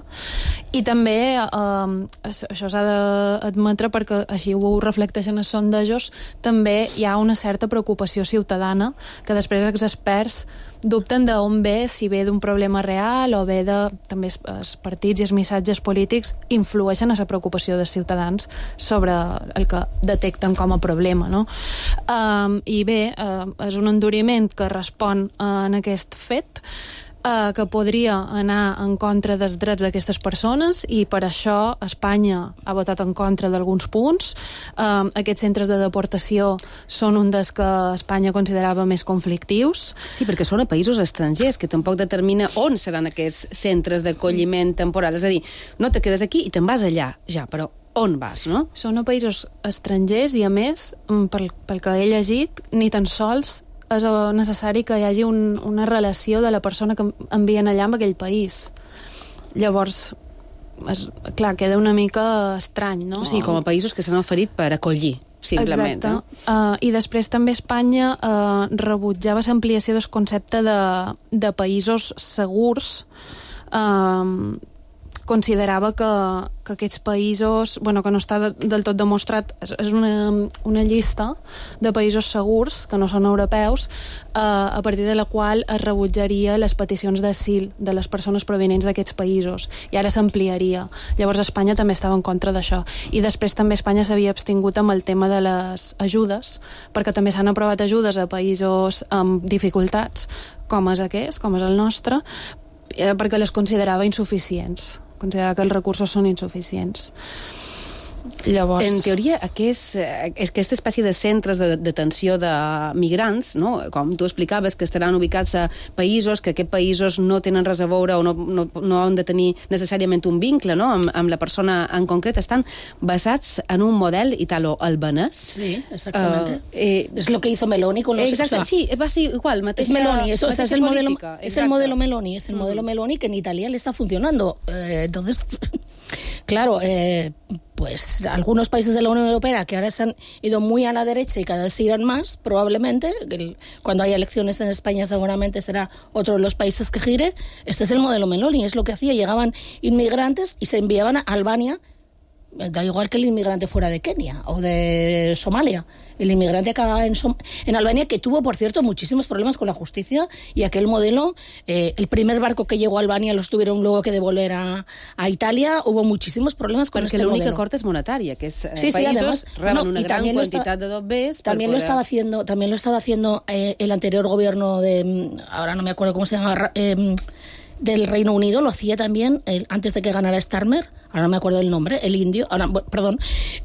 i també eh, això s'ha d'admetre perquè així ho reflecteixen els sondejos, també hi ha una certa preocupació ciutadana que després els experts dubten d'on ve, si ve d'un problema real o ve de... també els partits i els missatges polítics influeixen a la preocupació dels ciutadans sobre el que detecten com a problema, no? Um, I bé, uh, és un enduriment que respon uh, en aquest fet, uh, que podria anar en contra dels drets d'aquestes persones, i per això Espanya ha votat en contra d'alguns punts. Um, aquests centres de deportació són un dels que Espanya considerava més conflictius.
Sí, perquè són a països estrangers, que tampoc determina on seran aquests centres d'acolliment temporal. És a dir, no te quedes aquí i te'n vas allà, ja, però on vas, no?
Són a països estrangers i, a més, pel, pel que he llegit, ni tan sols és necessari que hi hagi un, una relació de la persona que envien allà amb aquell país. Llavors, és, clar, queda una mica estrany, no?
Sí, com a països que s'han oferit per acollir, simplement.
Exacte. Eh? Uh, I després també Espanya uh, rebutjava l'ampliació del concepte de, de països segurs. Uh, considerava que, que aquests països, bueno, que no està de, del tot demostrat, és, és una, una llista de països segurs, que no són europeus, eh, a partir de la qual es rebutjaria les peticions d'asil de les persones provenents d'aquests països, i ara s'ampliaria. Llavors Espanya també estava en contra d'això. I després també Espanya s'havia abstingut amb el tema de les ajudes, perquè també s'han aprovat ajudes a països amb dificultats, com és aquest, com és el nostre, eh, perquè les considerava insuficients. Considerar que els recursos són insuficients. Llavors...
En teoria, aquest, aquesta espècie de centres de detenció de migrants, no? Com tu explicaves, que estaran ubicats a països que aquests països no tenen res a veure o no, no, no han de tenir necessàriament un vincle, no? amb, amb la persona en concret, estan basats en un model italo-albanès.
Sí, exactamente. Uh, eh, es lo que hizo Meloni con los...
Exacte, o sea, sí, va ser igual. Mateixa,
es Meloni, eso, o sea, es, el modelo, es el modelo Meloni, es el
mm.
modelo Meloni que en Italia le está funcionando. Eh, entonces, claro, eh, pues algunos países de la Unión Europea que ahora se han ido muy a la derecha y cada vez se irán más, probablemente, el, cuando haya elecciones en España seguramente será otro de los países que gire. Este es el modelo Meloni, es lo que hacía, llegaban inmigrantes y se enviaban a Albania. Da igual que el inmigrante fuera de Kenia o de Somalia. El inmigrante acaba en, Som- en Albania, que tuvo, por cierto, muchísimos problemas con la justicia, y aquel modelo, eh, el primer barco que llegó a Albania los tuvieron luego que devolver a, a Italia. Hubo muchísimos problemas con
Porque
este modelo.
Porque l'única acord és monetària, que és eh,
sí, sí,
països
además,
reben
no,
una gran quantitat de dobbers.
También
poder...
lo estaba haciendo, también lo estaba haciendo eh, el anterior gobierno de, ahora no me acuerdo cómo se llama, eh, del Reino Unido, lo hacía también el, antes de que ganara Starmer, ahora no me acuerdo el nombre, el indio, ahora, perdón,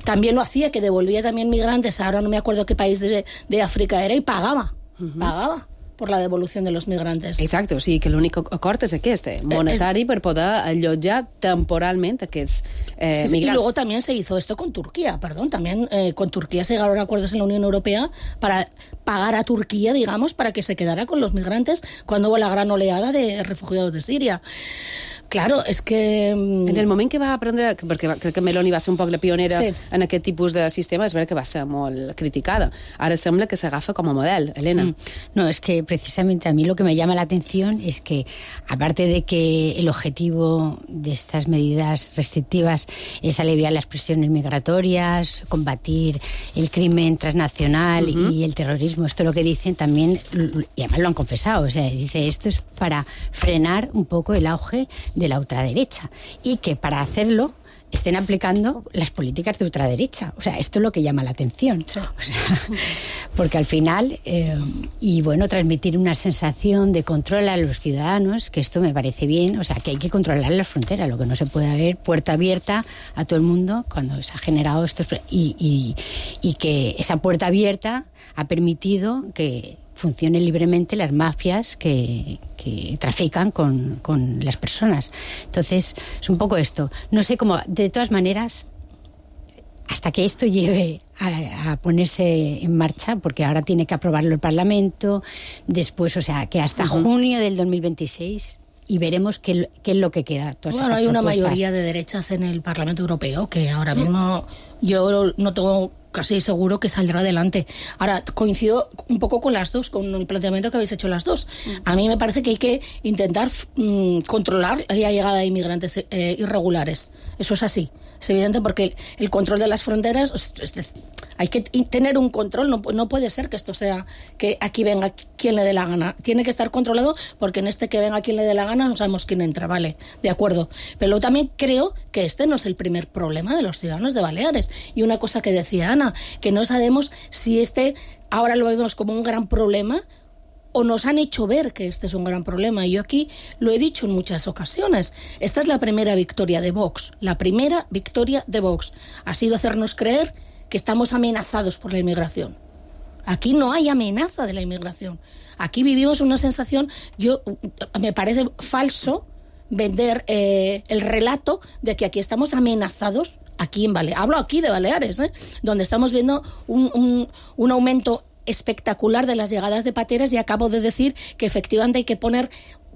también lo hacía, que devolvía también migrantes, ahora no me acuerdo qué país de, de África era, y pagaba, uh-huh. pagaba por la devolución de los migrantes.
Exacte, o sigui que l'únic acord és aquest, eh, monetari, es... per poder allotjar temporalment aquests eh,
sí, sí,
migrants.
Y luego también se hizo esto con Turquía, perdón, también eh, con Turquía se llegaron a acuerdos en la Unión Europea para pagar a Turquía, digamos, para que se quedara con los migrantes cuando hubo la gran oleada de refugiados de Siria. Claro, és que...
En el moment que va aprendre, perquè crec que Meloni va ser un poc la pionera sí. en aquest tipus de sistema, és veritat que va ser molt criticada. Ara sembla que s'agafa com a model. Elena. Mm.
No, es que precisamente a mí lo que me llama la atención es que, aparte de que el objetivo de estas medidas restrictivas es aliviar las presiones migratorias, combatir el crimen transnacional uh-huh. y el terrorismo, esto lo que dicen también, y además lo han confesado, o sea, dice, esto es para frenar un poco el auge de la ultraderecha y que para hacerlo estén aplicando las políticas de ultraderecha. O sea, esto es lo que llama la atención. Sí. O sea, porque al final, eh, y bueno, transmitir una sensación de control a los ciudadanos, que esto me parece bien, o sea, que hay que controlar las fronteras, lo que no se puede haber puerta abierta a todo el mundo cuando se ha generado esto, y, y, y que esa puerta abierta ha permitido que funcionen libremente las mafias que, que trafican con, con las personas. Entonces, es un poco esto. No sé cómo, de todas maneras, hasta que esto lleve a, a ponerse en marcha, porque ahora tiene que aprobarlo el Parlamento, después, o sea, que hasta uh-huh. junio del dos mil veintiséis... y veremos qué, qué es lo que queda. Todas
bueno, hay
propuestas.
Una mayoría de derechas en el Parlamento Europeo que ahora mismo yo no tengo casi seguro que saldrá adelante. Ahora, coincido un poco con las dos, con el planteamiento que habéis hecho las dos. A mí me parece que hay que intentar mmm, controlar la llegada de inmigrantes eh, irregulares. Eso es así. Es evidente porque el, el control de las fronteras, es, es, hay que tener un control, no, no puede ser que esto sea que aquí venga quien le dé la gana. Tiene que estar controlado porque en este que venga quien le dé la gana no sabemos quién entra, vale, de acuerdo. Pero luego también creo que este no es el primer problema de los ciudadanos de Baleares. Y una cosa que decía Ana, que no sabemos si este ahora lo vemos como un gran problema o nos han hecho ver que este es un gran problema. Y yo aquí lo he dicho en muchas ocasiones. Esta es la primera victoria de Vox. La primera victoria de Vox ha sido hacernos creer que estamos amenazados por la inmigración. Aquí no hay amenaza de la inmigración. Aquí vivimos una sensación, yo me parece falso vender eh, el relato de que aquí estamos amenazados, aquí en Baleares. Hablo aquí de Baleares, ¿eh? Donde estamos viendo un, un, un aumento espectacular de las llegadas de pateras, y acabo de decir que efectivamente hay que poner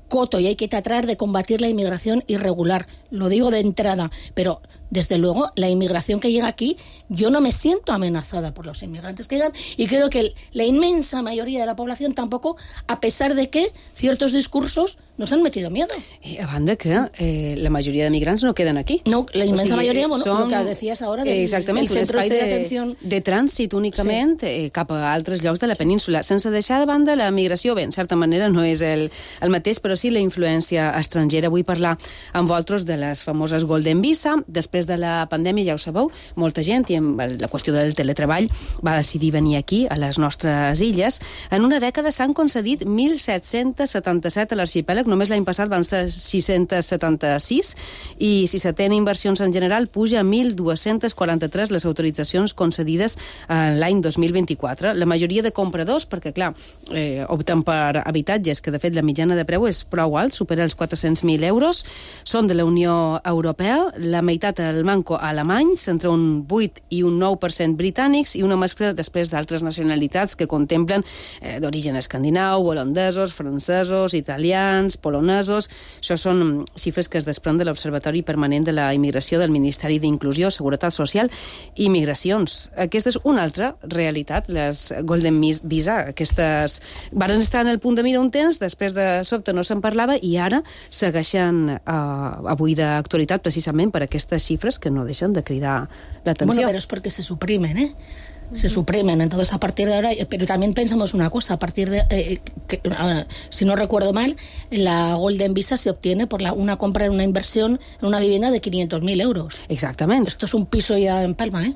coto y hay que tratar de combatir la inmigración irregular. Lo digo de entrada, pero desde luego la inmigración que llega aquí, yo no me siento amenazada por los inmigrantes que llegan, y creo que el, la inmensa mayoría de la población tampoco, a pesar de que ciertos discursos nos han metido miedo.
I a banda que eh, la majoria de migrants no queden aquí.
No, la inmensa o sigui, majoria, bueno,
són,
lo que decías ahora del
exactament,
el centro
de,
de atención
de trànsit únicament sí. eh, cap a altres llocs de la península, sense deixar de banda la migració. Bé, en certa manera no és el, el mateix, però sí la influència estrangera. Vull parlar amb vosaltres de les famoses Golden Visa. Després de la pandèmia, ja ho sabeu, molta gent, i amb la qüestió del teletreball, va decidir venir aquí, a les nostres illes. En una dècada s'han concedit mil set-cents setanta-set a l'arxipèlag, només l'any passat van ser sis-cents setanta-sis, i si s'atén inversions en general, puja a mil dos-cents quaranta-tres les autoritzacions concedides l'any dos mil vint-i-quatre. La majoria de compradors, perquè clar, eh, opten per habitatges, que de fet la mitjana de preu és prou alt, supera els quatre-cents mil euros, són de la Unió Europea, la meitat al manco alemanys, entre un vuit i un nou per cent britànics, i una mescla després d'altres nacionalitats que contemplen eh, d'origen escandinau, holandesos, francesos, italians, polonesos. Això són xifres que es desprèn de l'Observatori Permanent de la Immigració del Ministeri d'Inclusió, Seguretat Social i Migracions. Aquesta és una altra realitat, les Golden Visa. Aquestes varen estar en el punt de mira un temps, després de sobte no se'n parlava, i ara segueixen eh, avui d'actualitat precisament per aquestes xifres que no deixen de cridar l'atenció.
Bueno, pero es porque se suprimen, ¿eh? Se suprimen, entonces a partir de ahora, pero también pensamos una cosa, a partir de, eh, que, ahora, si no recuerdo mal, la Golden Visa se obtiene por la, una compra en una inversión en una vivienda de quinientos mil euros.
Exactament.
Esto es un piso ya en Palma, ¿eh?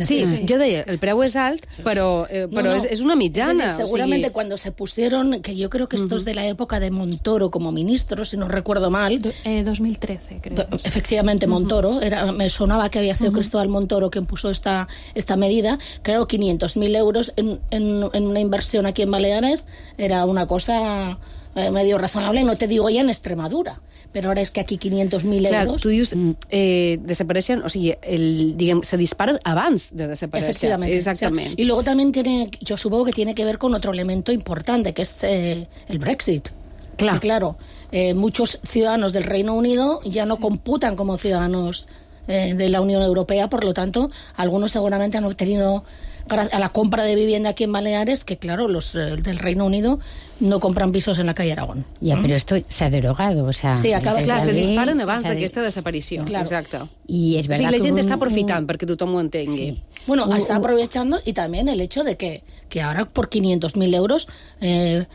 Sí, sí, jo deia, el preu és alt, però, eh, però no, no. És, és una mitjana.
Es decir, seguramente
o sigui...
cuando se pusieron, que yo creo que esto uh-huh. es de la época de Montoro como ministro, si no recuerdo mal.
Do, eh, dos mil trece, creo.
Efectivamente, Montoro. Uh-huh. Era, me sonaba que había sido uh-huh. Cristóbal Montoro quien puso esta, esta medida. Claro, quinientos mil euros en, en, en una inversión aquí en Baleares era una cosa eh, medio razonable, no te digo ya en Extremadura. Però ara és que aquí quinientos mil euros...
Clar, tu dius, eh, desapareixen, o sigui, el, diguem, se disparen abans de desaparèixer.
Efectivamente.
Exactamente.
O sea, y luego también tiene, yo supongo que tiene que ver con otro elemento importante, que es eh, el Brexit.
Claro.
Y claro, eh, muchos ciudadanos del Reino Unido ya no sí. computan como ciudadanos eh, de la Unión Europea, por lo tanto, algunos seguramente han obtenido... a la compra de vivienda aquí en Baleares, que claro, los eh, del Reino Unido no compran pisos en la calle Aragón.
Ya, ¿Mm? Pero esto se ha derogado, o sea...
Sí, acaba
de clar, se disparen abans
o sea,
d'aquesta desaparició.
Claro.
Exacte.
Y es verdad
o sigui, la gent
un,
està aprofitant
un...
perquè tothom ho entengui.
Sí. Bueno,
un,
está
un...
aprovechando, y también el hecho de que, que ahora por quinientos mil euros eh,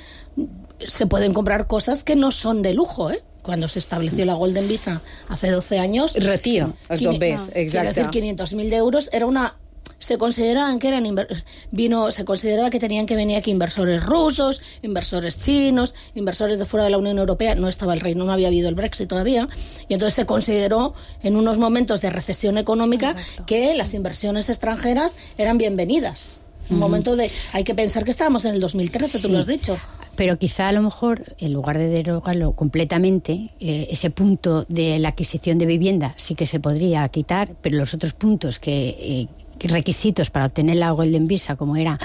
se pueden comprar cosas que no son de lujo, ¿eh? cuando se estableció la Golden Visa hace doce años...
Retira els bombers, exacte.
Quiero decir, quinientos mil euros era una... Se consideraban que eran inver... vino se consideraba que tenían que venir aquí inversores rusos, inversores chinos, inversores de fuera de la Unión Europea. No estaba el Reino, no había habido el Brexit todavía, y entonces se consideró en unos momentos de recesión económica Exacto. que las inversiones extranjeras eran bienvenidas. Un uh-huh. momento de... Hay que pensar que estábamos en el dos mil trece, sí. Tú lo has dicho.
Pero quizá a lo mejor, en lugar de derogarlo completamente, eh, ese punto de la adquisición de vivienda sí que se podría quitar, pero los otros puntos que... Eh, requisitos para obtener la Golden Visa, como era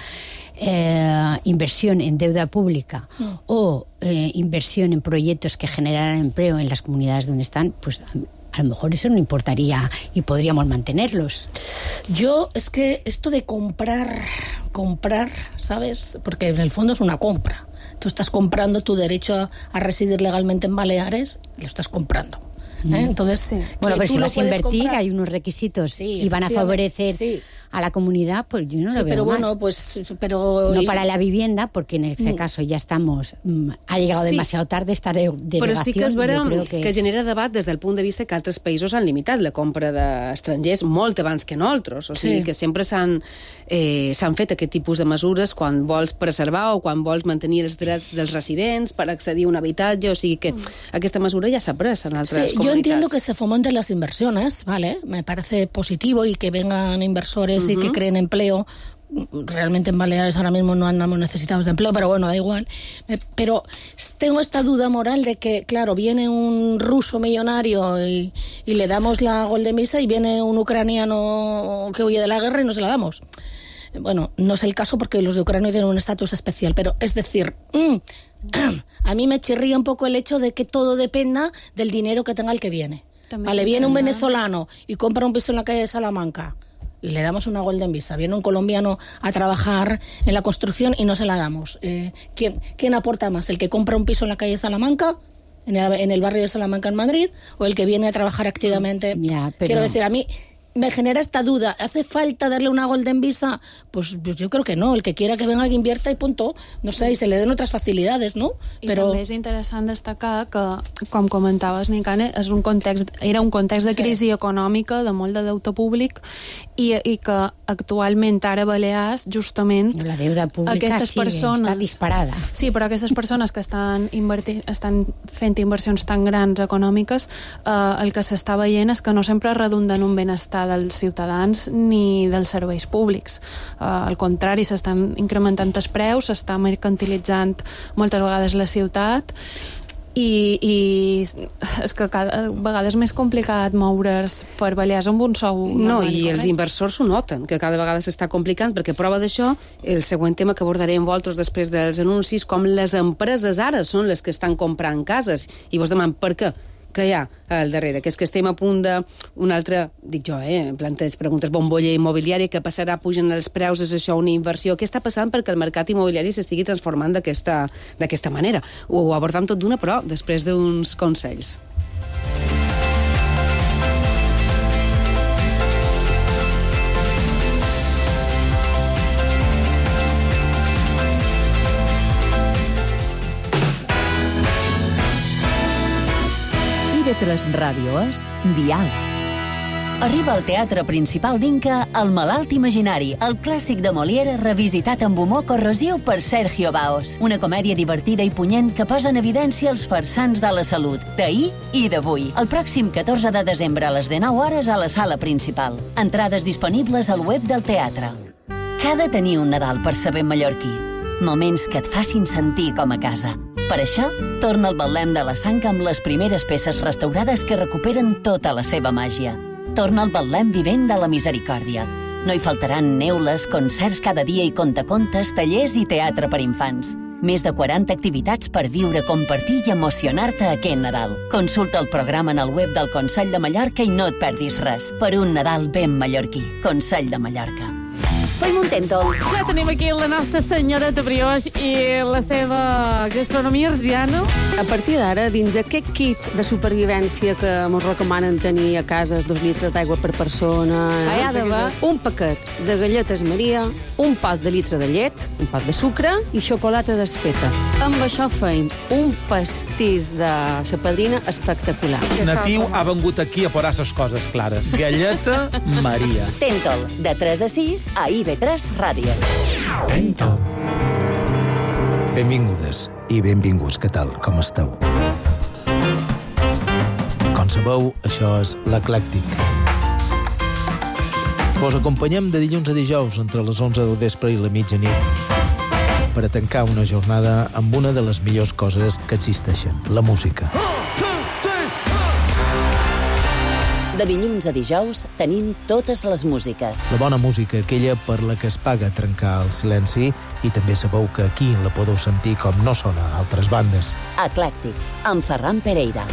eh, inversión en deuda pública mm. o eh, inversión en proyectos que generaran empleo en las comunidades donde están, pues a, a lo mejor eso no importaría y podríamos mantenerlos.
Yo, es que esto de comprar, comprar, ¿sabes? Porque en el fondo es una compra. Tú estás comprando tu derecho a, a residir legalmente en Baleares, lo estás comprando. ¿Eh? Entonces, sí.
Bueno, pero si vas a invertir, comprar, hay unos requisitos sí, y van a favorecer sí. a la comunidad, pues yo no
sí,
lo veo
pero
mal.
Bueno, pues, pero
no para la vivienda, porque en este mm. caso ya estamos, mm, ha llegado sí. demasiado tarde esta derogación.
Però sí que és vera
que...
que genera debat des del punt de vista que altres països han limitat la compra d'estrangers molt abans que nosaltres, o sigui sí. que sempre s'han eh, s'han fet aquest tipus de mesures quan vols preservar o quan vols mantenir els drets dels residents per accedir a un habitatge, o sigui que mm. aquesta mesura ja s'ha pres en altres
sí,
comunitats.
Yo entiendo que se fomenten las inversiones, ¿vale? Me parece positivo y que vengan inversores uh-huh. y que creen empleo. Realmente en Baleares ahora mismo no andamos necesitados de empleo, pero bueno, da igual. Pero tengo esta duda moral de que, claro, viene un ruso millonario y, y le damos la Golden Visa y viene un ucraniano que huye de la guerra y no se la damos. Bueno, no es el caso porque los de Ucrania tienen un estatus especial, pero es decir... Mmm, a mí me chirría un poco el hecho de que todo dependa del dinero que tenga el que viene. También vale, viene un venezolano y compra un piso en la calle de Salamanca y le damos una Golden Visa. Viene un colombiano a trabajar en la construcción y no se la damos. Eh, ¿quién, ¿Quién aporta más? ¿El que compra un piso en la calle de Salamanca, en el, en el barrio de Salamanca en Madrid, o el que viene a trabajar activamente?
Ya, pero...
Quiero decir, a mí... me genera esta duda. ¿Hace falta darle una Golden Visa? Pues, pues yo creo que no. El que quiera que venga que invierta y punto. No sé, y se le den otras facilidades, ¿no?
I Però... també és interessant destacar que, com comentaves, Nicane, és un context, era un context de crisi sí. econòmica, de molt de deute públic, i, i que actualment ara a Balears, justament...
La deuda pública
aquestes
sí,
persones,
està disparada.
Sí, però aquestes persones que estan, invertint, estan fent inversions tan grans econòmiques, eh, el que s'està veient és que no sempre redunda en un benestar dels ciutadans ni dels serveis públics. Uh, al contrari, s'estan incrementant els preus, s'està mercantilitzant moltes vegades la ciutat i, i és que cada vegada és més complicat moure's per Balears amb un sou
no, i els inversors ho noten, que cada vegada s'està complicant, perquè prova d'això el següent tema que abordarem vosaltres després dels anuncis, com les empreses ara són les que estan comprant cases i vos demanen per què que hi ha al darrere, que és que estem a punt d'un altre, dic jo, eh, planteig preguntes, bombolla immobiliària, que passarà, pugen els preus, és això una inversió? Què està passant perquè el mercat immobiliari s'estigui transformant d'aquesta d'aquesta manera? Ho abordam tot d'una, però després d'uns consells.
I V tres Ràdio és Dial.
Arriba al Teatre Principal d'Inca El malalt imaginari, el clàssic de Molière revisitat amb humor corrosiu per Sergio Baos. Una comèdia divertida i punyent que posa en evidència els farsants de la salut, d'ahir i d'avui. El pròxim catorze de desembre a les dinou hores a la sala principal. Entrades disponibles al web del teatre. Que ha de tenir un Nadal per saber mallorquí? Moments que et facin sentir com a casa. Per això, torna al Betlem de la Sang amb les primeres peces restaurades que recuperen tota la seva màgia. Torna al Betlem vivent de la misericòrdia. No hi faltaran neules, concerts cada dia i contacontes, tallers i teatre per infants. Més de quaranta activitats per viure, compartir i emocionar-te aquest Nadal. Consulta el programa en el web del Consell de Mallorca i no et perdis res. Per un Nadal ben mallorquí. Consell de Mallorca. Fem un tento.
Ja tenim aquí la nostra senyora de brioix i la seva gastronomia arsiana.
A partir d'ara, dins aquest kit de supervivència que ens recomanen tenir a casa, dos litres d'aigua per persona... Hi ha d'haver un paquet de galletes Maria, un pot de litre de llet, un pot de sucre i xocolata desfeta. Amb això feim un pastís de la padrina espectacular.
Natiu ha vengut aquí a posar les coses clares. Galleta Maria.
Tentol, de tres a sis a I V tres Ràdio.
Tentol. Benvingudes i benvinguts. Què tal? Com esteu? Com sabeu, això és l'Eclèctic. Vos acompanyem de dilluns a dijous entre les onze del vespre i la mitjanit per a tancar una jornada amb una de les millors coses que existeixen, la música.
De dilluns a dijous tenim totes les músiques.
La bona música, aquella per la que es paga trencar el silenci, i també sabeu que aquí la podeu sentir com no sona a altres bandes.
Eclèctic, amb Ferran Pereira.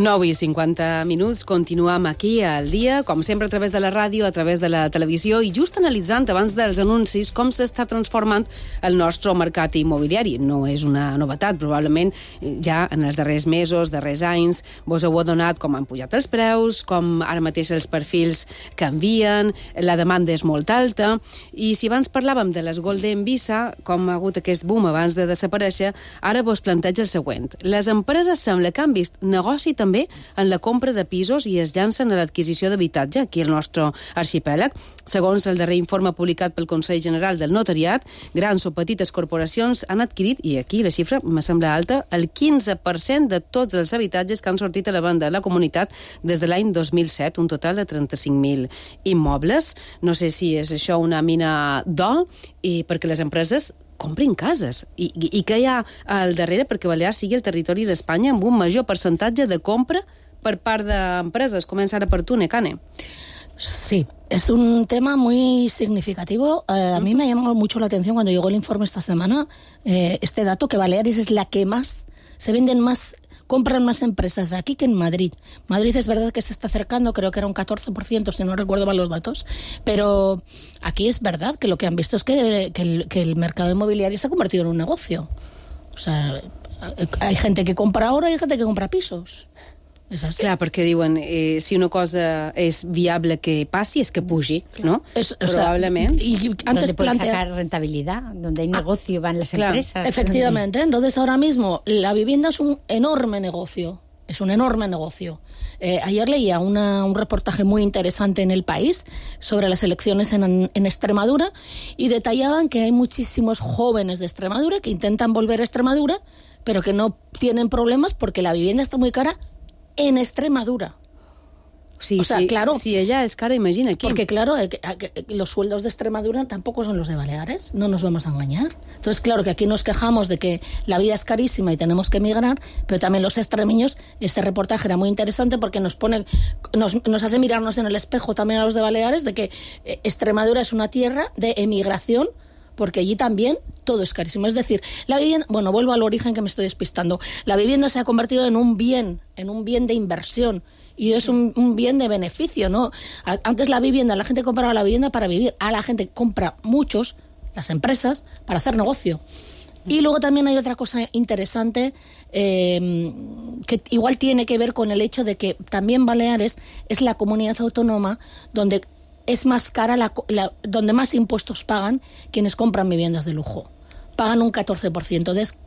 nou i cinquanta minuts, continuem aquí al dia, com sempre a través de la ràdio, a través de la televisió, i just analitzant abans dels anuncis com s'està transformant el nostre mercat immobiliari. No és una novetat, probablement ja en els darrers mesos, darrers anys, vos heu adonat com han pujat els preus, com ara mateix els perfils canvien, la demanda és molt alta, i si abans parlàvem de les Golden Visa, com ha hagut aquest boom abans de desaparèixer, ara vos planteja el següent. Les empreses sembla que han vist negoci també en la compra de pisos i es llancen a l'adquisició d'habitatge aquí al nostre arxipèlag. Segons el darrer informe publicat pel Consell General del Notariat, grans o petites corporacions han adquirit, i aquí la xifra me sembla alta, el quinze per cent de tots els habitatges que han sortit a la banda de la comunitat des de l'any dos mil set, un total de trenta-cinc mil immobles. No sé si és això una mina d'or, i perquè les empreses comprin cases. I, i, I què hi ha al darrere perquè Balears sigui el territori d'Espanya amb un major percentatge de compra per part d'empreses? Comença ara per tu, Nekane.
Sí, es un tema muy significativo. Eh, a mí me ha llamado mucho la atención cuando llegó el informe esta semana, eh, este dato, que Baleares es la que más, se venden más, compran más empresas aquí que en Madrid. Madrid es verdad que se está acercando, creo que era un catorce por ciento, si no recuerdo mal los datos, pero aquí es verdad que lo que han visto es que, que, el, que el mercado inmobiliario se ha convertido en un negocio. O sea, hay gente que compra ahora y hay gente que compra pisos. És així. Clar,
perquè diuen, eh, si una cosa és viable que passi, és que pugi, ¿no?
Es, o
Probablemente.
Sea, y antes
donde puedes plantea... sacar rentabilidad, donde hay negocio, ah, van las
claro,
empresas.
Efectivamente, entonces ahora mismo la vivienda es un enorme negocio, es un enorme negocio. Eh, ayer leía una, un reportaje muy interesante en El País sobre las elecciones en, en Extremadura y detallaban que hay muchísimos jóvenes de Extremadura que intentan volver a Extremadura, pero que no tienen problemas porque la vivienda está muy cara en Extremadura.
Sí,
o sea,
sí,
claro,
si ella es cara, imagina aquí.
Porque claro, eh, eh, los sueldos de Extremadura tampoco son los de Baleares, no nos vamos a engañar. Entonces, claro que aquí nos quejamos de que la vida es carísima y tenemos que emigrar, pero también los extremeños, este reportaje era muy interesante porque nos pone, nos, nos hace mirarnos en el espejo también a los de Baleares de que eh, Extremadura es una tierra de emigración, porque allí también todo es carísimo. Es decir, la vivienda, bueno, vuelvo al origen que me estoy despistando. La vivienda se ha convertido en un bien, en un bien de inversión. Y es un, un bien de beneficio, ¿no? Antes la vivienda, la gente compraba la vivienda para vivir. Ahora la gente compra muchos, las empresas, para hacer negocio. Y luego también hay otra cosa interesante eh, que igual tiene que ver con el hecho de que también Baleares es la comunidad autónoma donde es más cara, la, la, donde más impuestos pagan quienes compran viviendas de lujo. Pagan un catorce por ciento. Entonces,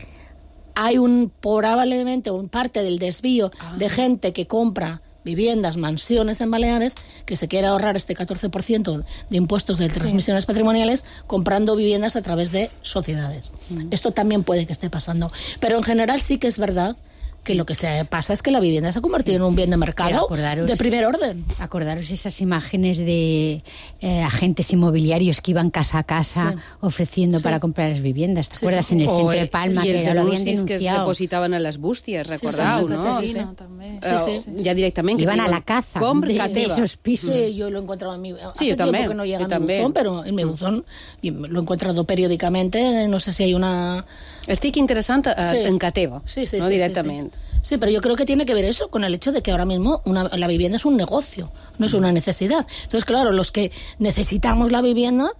hay un probablemente un parte del desvío ah. de gente que compra viviendas, mansiones en Baleares, que se quiere ahorrar este catorce por ciento de impuestos de transmisiones sí. patrimoniales comprando viviendas a través de sociedades. Mm. Esto también puede que esté pasando. Pero en general sí que es verdad que lo que se pasa es que la vivienda se ha convertido en un bien de mercado acordaros, de primer orden.
Acordaros esas imágenes de eh, agentes inmobiliarios que iban casa a casa sí. ofreciendo sí. para comprar las viviendas. ¿Te sí, acuerdas? Sí, sí. En el centro o, de Palma,
y
que lo habían denunciado.
que es depositaven a les bústies, recordeu,
sí, sí,
no?
Sí, sí.
També. Sí, sí, sí. Ja directament.
Iban a la caza de, de esos pisos.
Sí, yo lo he encontrado en mi...
Sí, yo también.
Que no llega a mi buzón, pero en mi buzón lo he encontrado periódicamente, no sé si hay una...
Estic interessant uh, sí. en Cateva,
sí, sí,
no
sí,
directamente.
Sí, sí. sí, pero yo creo que tiene que ver eso con el hecho de que ahora mismo una, la vivienda es un negocio, no es una necesidad. Entonces, claro, los que necesitamos la vivienda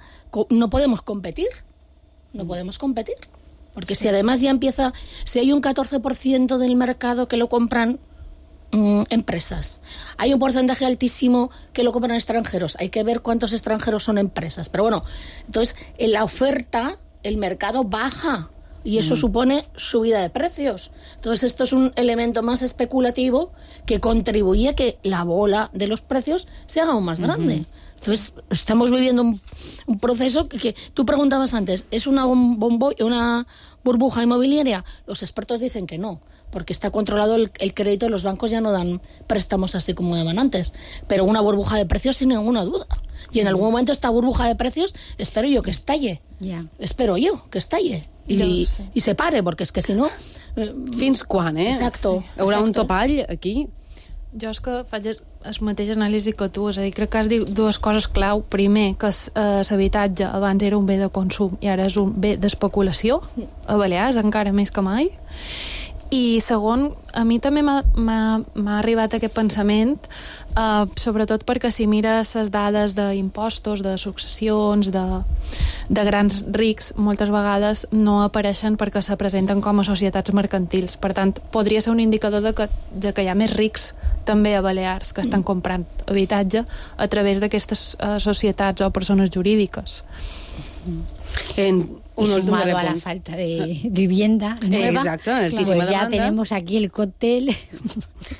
no podemos competir, no podemos competir. Porque sí. si además ya empieza, si hay un catorce por ciento del mercado que lo compran mmm, empresas, hay un porcentaje altísimo que lo compran extranjeros, hay que ver cuántos extranjeros son empresas. Pero bueno, entonces en la oferta el mercado baja. Y eso mm. supone subida de precios. Entonces esto es un elemento más especulativo que contribuye a que la bola de los precios se haga aún más grande. Mm-hmm. Entonces estamos viviendo un, un proceso que, que tú preguntabas antes, ¿es una, bombo, una burbuja inmobiliaria? Los expertos dicen que no, porque está controlado el, el crédito, los bancos ya no dan préstamos así como daban antes. Pero una burbuja de precios sin ninguna duda. Y en algún momento esta burbuja de precios espero yo que estalle. Yeah. Espero yo que estalle. I, no, sí. i se pare, perquè és que si no...
Eh, Fins quan, eh?
Exacto.
Sí. Hi haurà un topall aquí?
Jo és que faig el mateix anàlisi que tu, és a dir, crec que has dit dues coses clau. Primer, que l'habitatge abans era un bé de consum i ara és un bé d'especulació, a Balears encara més que mai. I segon, a mi també m'ha arribat aquest pensament, eh, sobretot perquè si mires les dades d'impostos, de successions, de, de grans rics, moltes vegades no apareixen perquè se presenten com a societats mercantils. Per tant, podria ser un indicador de que, de que hi ha més rics també a Balears que estan comprant habitatge a través d'aquestes eh, societats o persones jurídiques.
En y sumado a la falta de vivienda nueva,
exacto,
pues ya demanda. Tenemos aquí el cóctel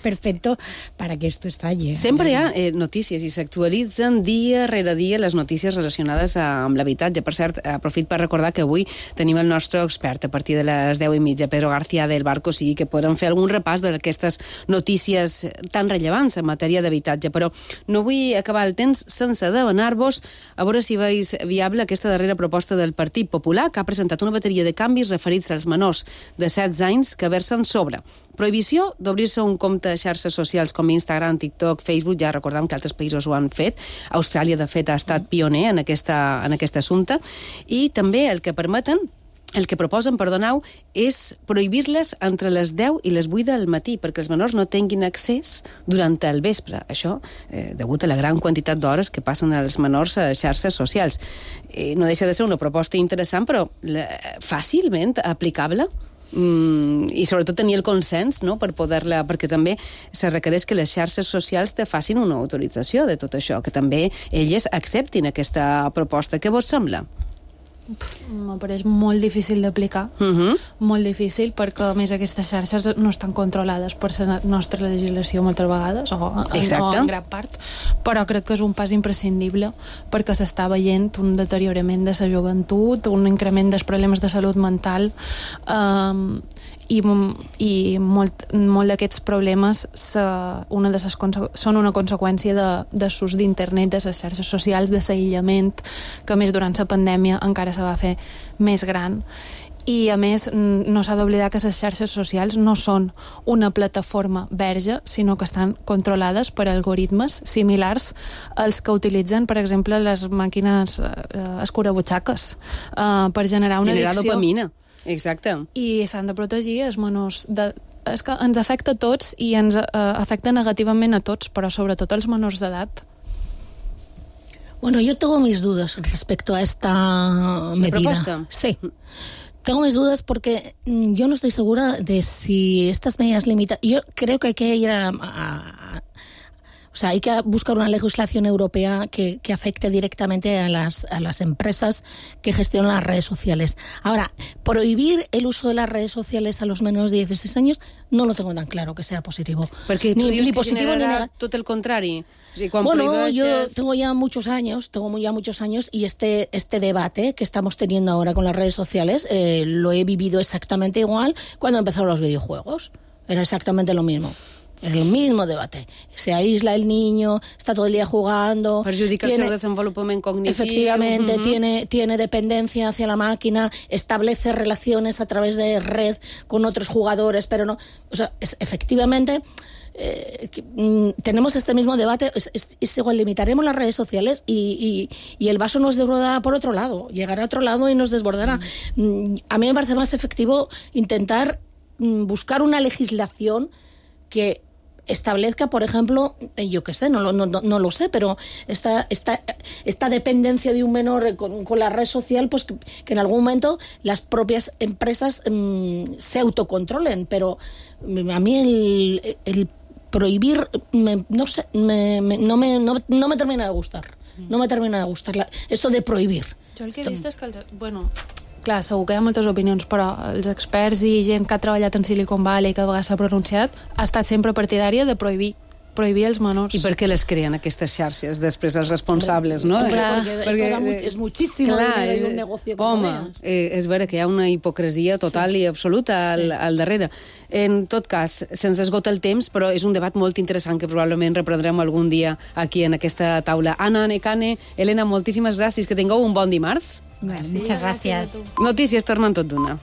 perfecto para que esto estalle.
Sempre hi ha eh, notícies i s'actualitzen dia rere dia les notícies relacionades amb l'habitatge. Per cert, aprofit per recordar que avui tenim el nostre expert a partir de les deu i mitja, Pedro García del Barco, sí, que podem fer algun repàs d'aquestes notícies tan rellevants en matèria d'habitatge. Però no vull acabar el temps sense demanar-vos a veure si veus viable aquesta darrera proposta del Partit Popular, que ha presentat una bateria de canvis referits als menors de setze anys que versen sobre prohibició d'obrir-se un compte a xarxes socials com Instagram, TikTok, Facebook. Ja recordem que altres països ho han fet. Austràlia, de fet, ha estat pioner en, aquesta, en aquest assumpte. I també el que permeten El que proposen, perdoneu, és prohibir-les entre les deu i les vuit del matí, perquè els menors no tinguin accés durant el vespre. Això, eh, degut a la gran quantitat d'hores que passen els menors a xarxes socials. Eh, no deixa de ser una proposta interessant, però la, fàcilment aplicable. Mm, i sobretot tenir el consens, no?, per poder-la, perquè també se requereix que les xarxes socials te facin una autorització de tot això, que també elles acceptin aquesta proposta. Què vos sembla?
M'ho pareix molt difícil d'aplicar, uh-huh. molt difícil, perquè a més aquestes xarxes no estan controlades per la nostra legislació moltes vegades, o, o en gran part, però crec que és un pas imprescindible perquè s'està veient un deteriorament de la joventut, un increment dels problemes de salut mental, eh, i, i molt, molt d'aquests problemes se, una de ses, són una conseqüència de, de l'ús d'internet, de les xarxes socials, de l'aïllament, que a més durant la pandèmia encara se va fer més gran. I a més no s'ha d'oblidar que les xarxes socials no són una plataforma verge, sinó que estan controlades per algoritmes similars als que utilitzen, per exemple, les màquines eh, escurabutxaques eh, per generar una
generar
addicció.
Dopamina. Exacte.
I s'han de protegir els menors. De, és que ens afecta a tots i ens eh, afecta negativament a tots, però sobretot als menors d'edat.
Bueno, yo tengo mis dudas respecto a esta medida.
¿Propuesta?
Sí. Tengo mis dudas porque yo no estoy segura de si estas medidas limitan. Yo creo que hay que ir a, a, a O sea, hay que buscar una legislación europea que, que afecte directamente a las, a las empresas que gestionan las redes sociales. Ahora, prohibir el uso de las redes sociales a los menores de dieciséis años no lo tengo tan claro que sea positivo.
Porque
ni,
ni
ni positivo ni negativo.
Todo el contrario. O sigui, quan
bueno,
prohibeixes...
yo tengo ya muchos años, tengo ya muchos años y este, este debate que estamos teniendo ahora con las redes sociales eh, lo he vivido exactamente igual cuando empezaron los videojuegos. era exactamente lo mismo. Es el mismo debate. Se aísla el niño, está todo el día jugando.
Perjudica tiene, el seu desenvolupament cognitiu.
Efectivamente,
uh-huh.
tiene, tiene dependencia hacia la máquina, establece relaciones a través de red con otros jugadores, pero no... O sea, es, efectivamente... Eh, que, mm, tenemos este mismo debate, es, es, es igual, limitaremos las redes sociales y, y, y el vaso nos desbordará por otro lado, llegará a otro lado y nos desbordará. Mm. Mm, a mí me parece más efectivo intentar mm, buscar una legislación que establezca, por ejemplo, yo qué sé, no, no, no, no lo sé, pero esta, esta, esta dependencia de un menor con, con la red social, pues que, que en algún momento las propias empresas mmm, se autocontrolen, pero a mí el, el prohibir, me, no sé, me, me, no, me, no, no me termina de gustar, no me termina de gustar la, esto de prohibir.
Jo el que he vist és que, els, bueno, clar, segur que hi ha moltes opinions, però els experts i gent que ha treballat en Silicon Valley, que a vegades s'ha pronunciat, ha estat sempre partidària de prohibir prohibir els menors.
I per què les creen aquestes xarxes després els responsables, no?
Clar, perquè, perquè esto da és muchísimo clar, dinero i un negocio que
home, eh, és vera que hi ha una hipocresia total sí. i absoluta al, sí. al darrere. En tot cas, se'ns esgota el temps, però és un debat molt interessant que probablement reprendrem algun dia aquí en aquesta taula. Anna, Nekane, Elena, moltíssimes gràcies, que tingueu un bon dimarts.
Gràcies. Muchas gracias.
Notícies tornen tot d'una.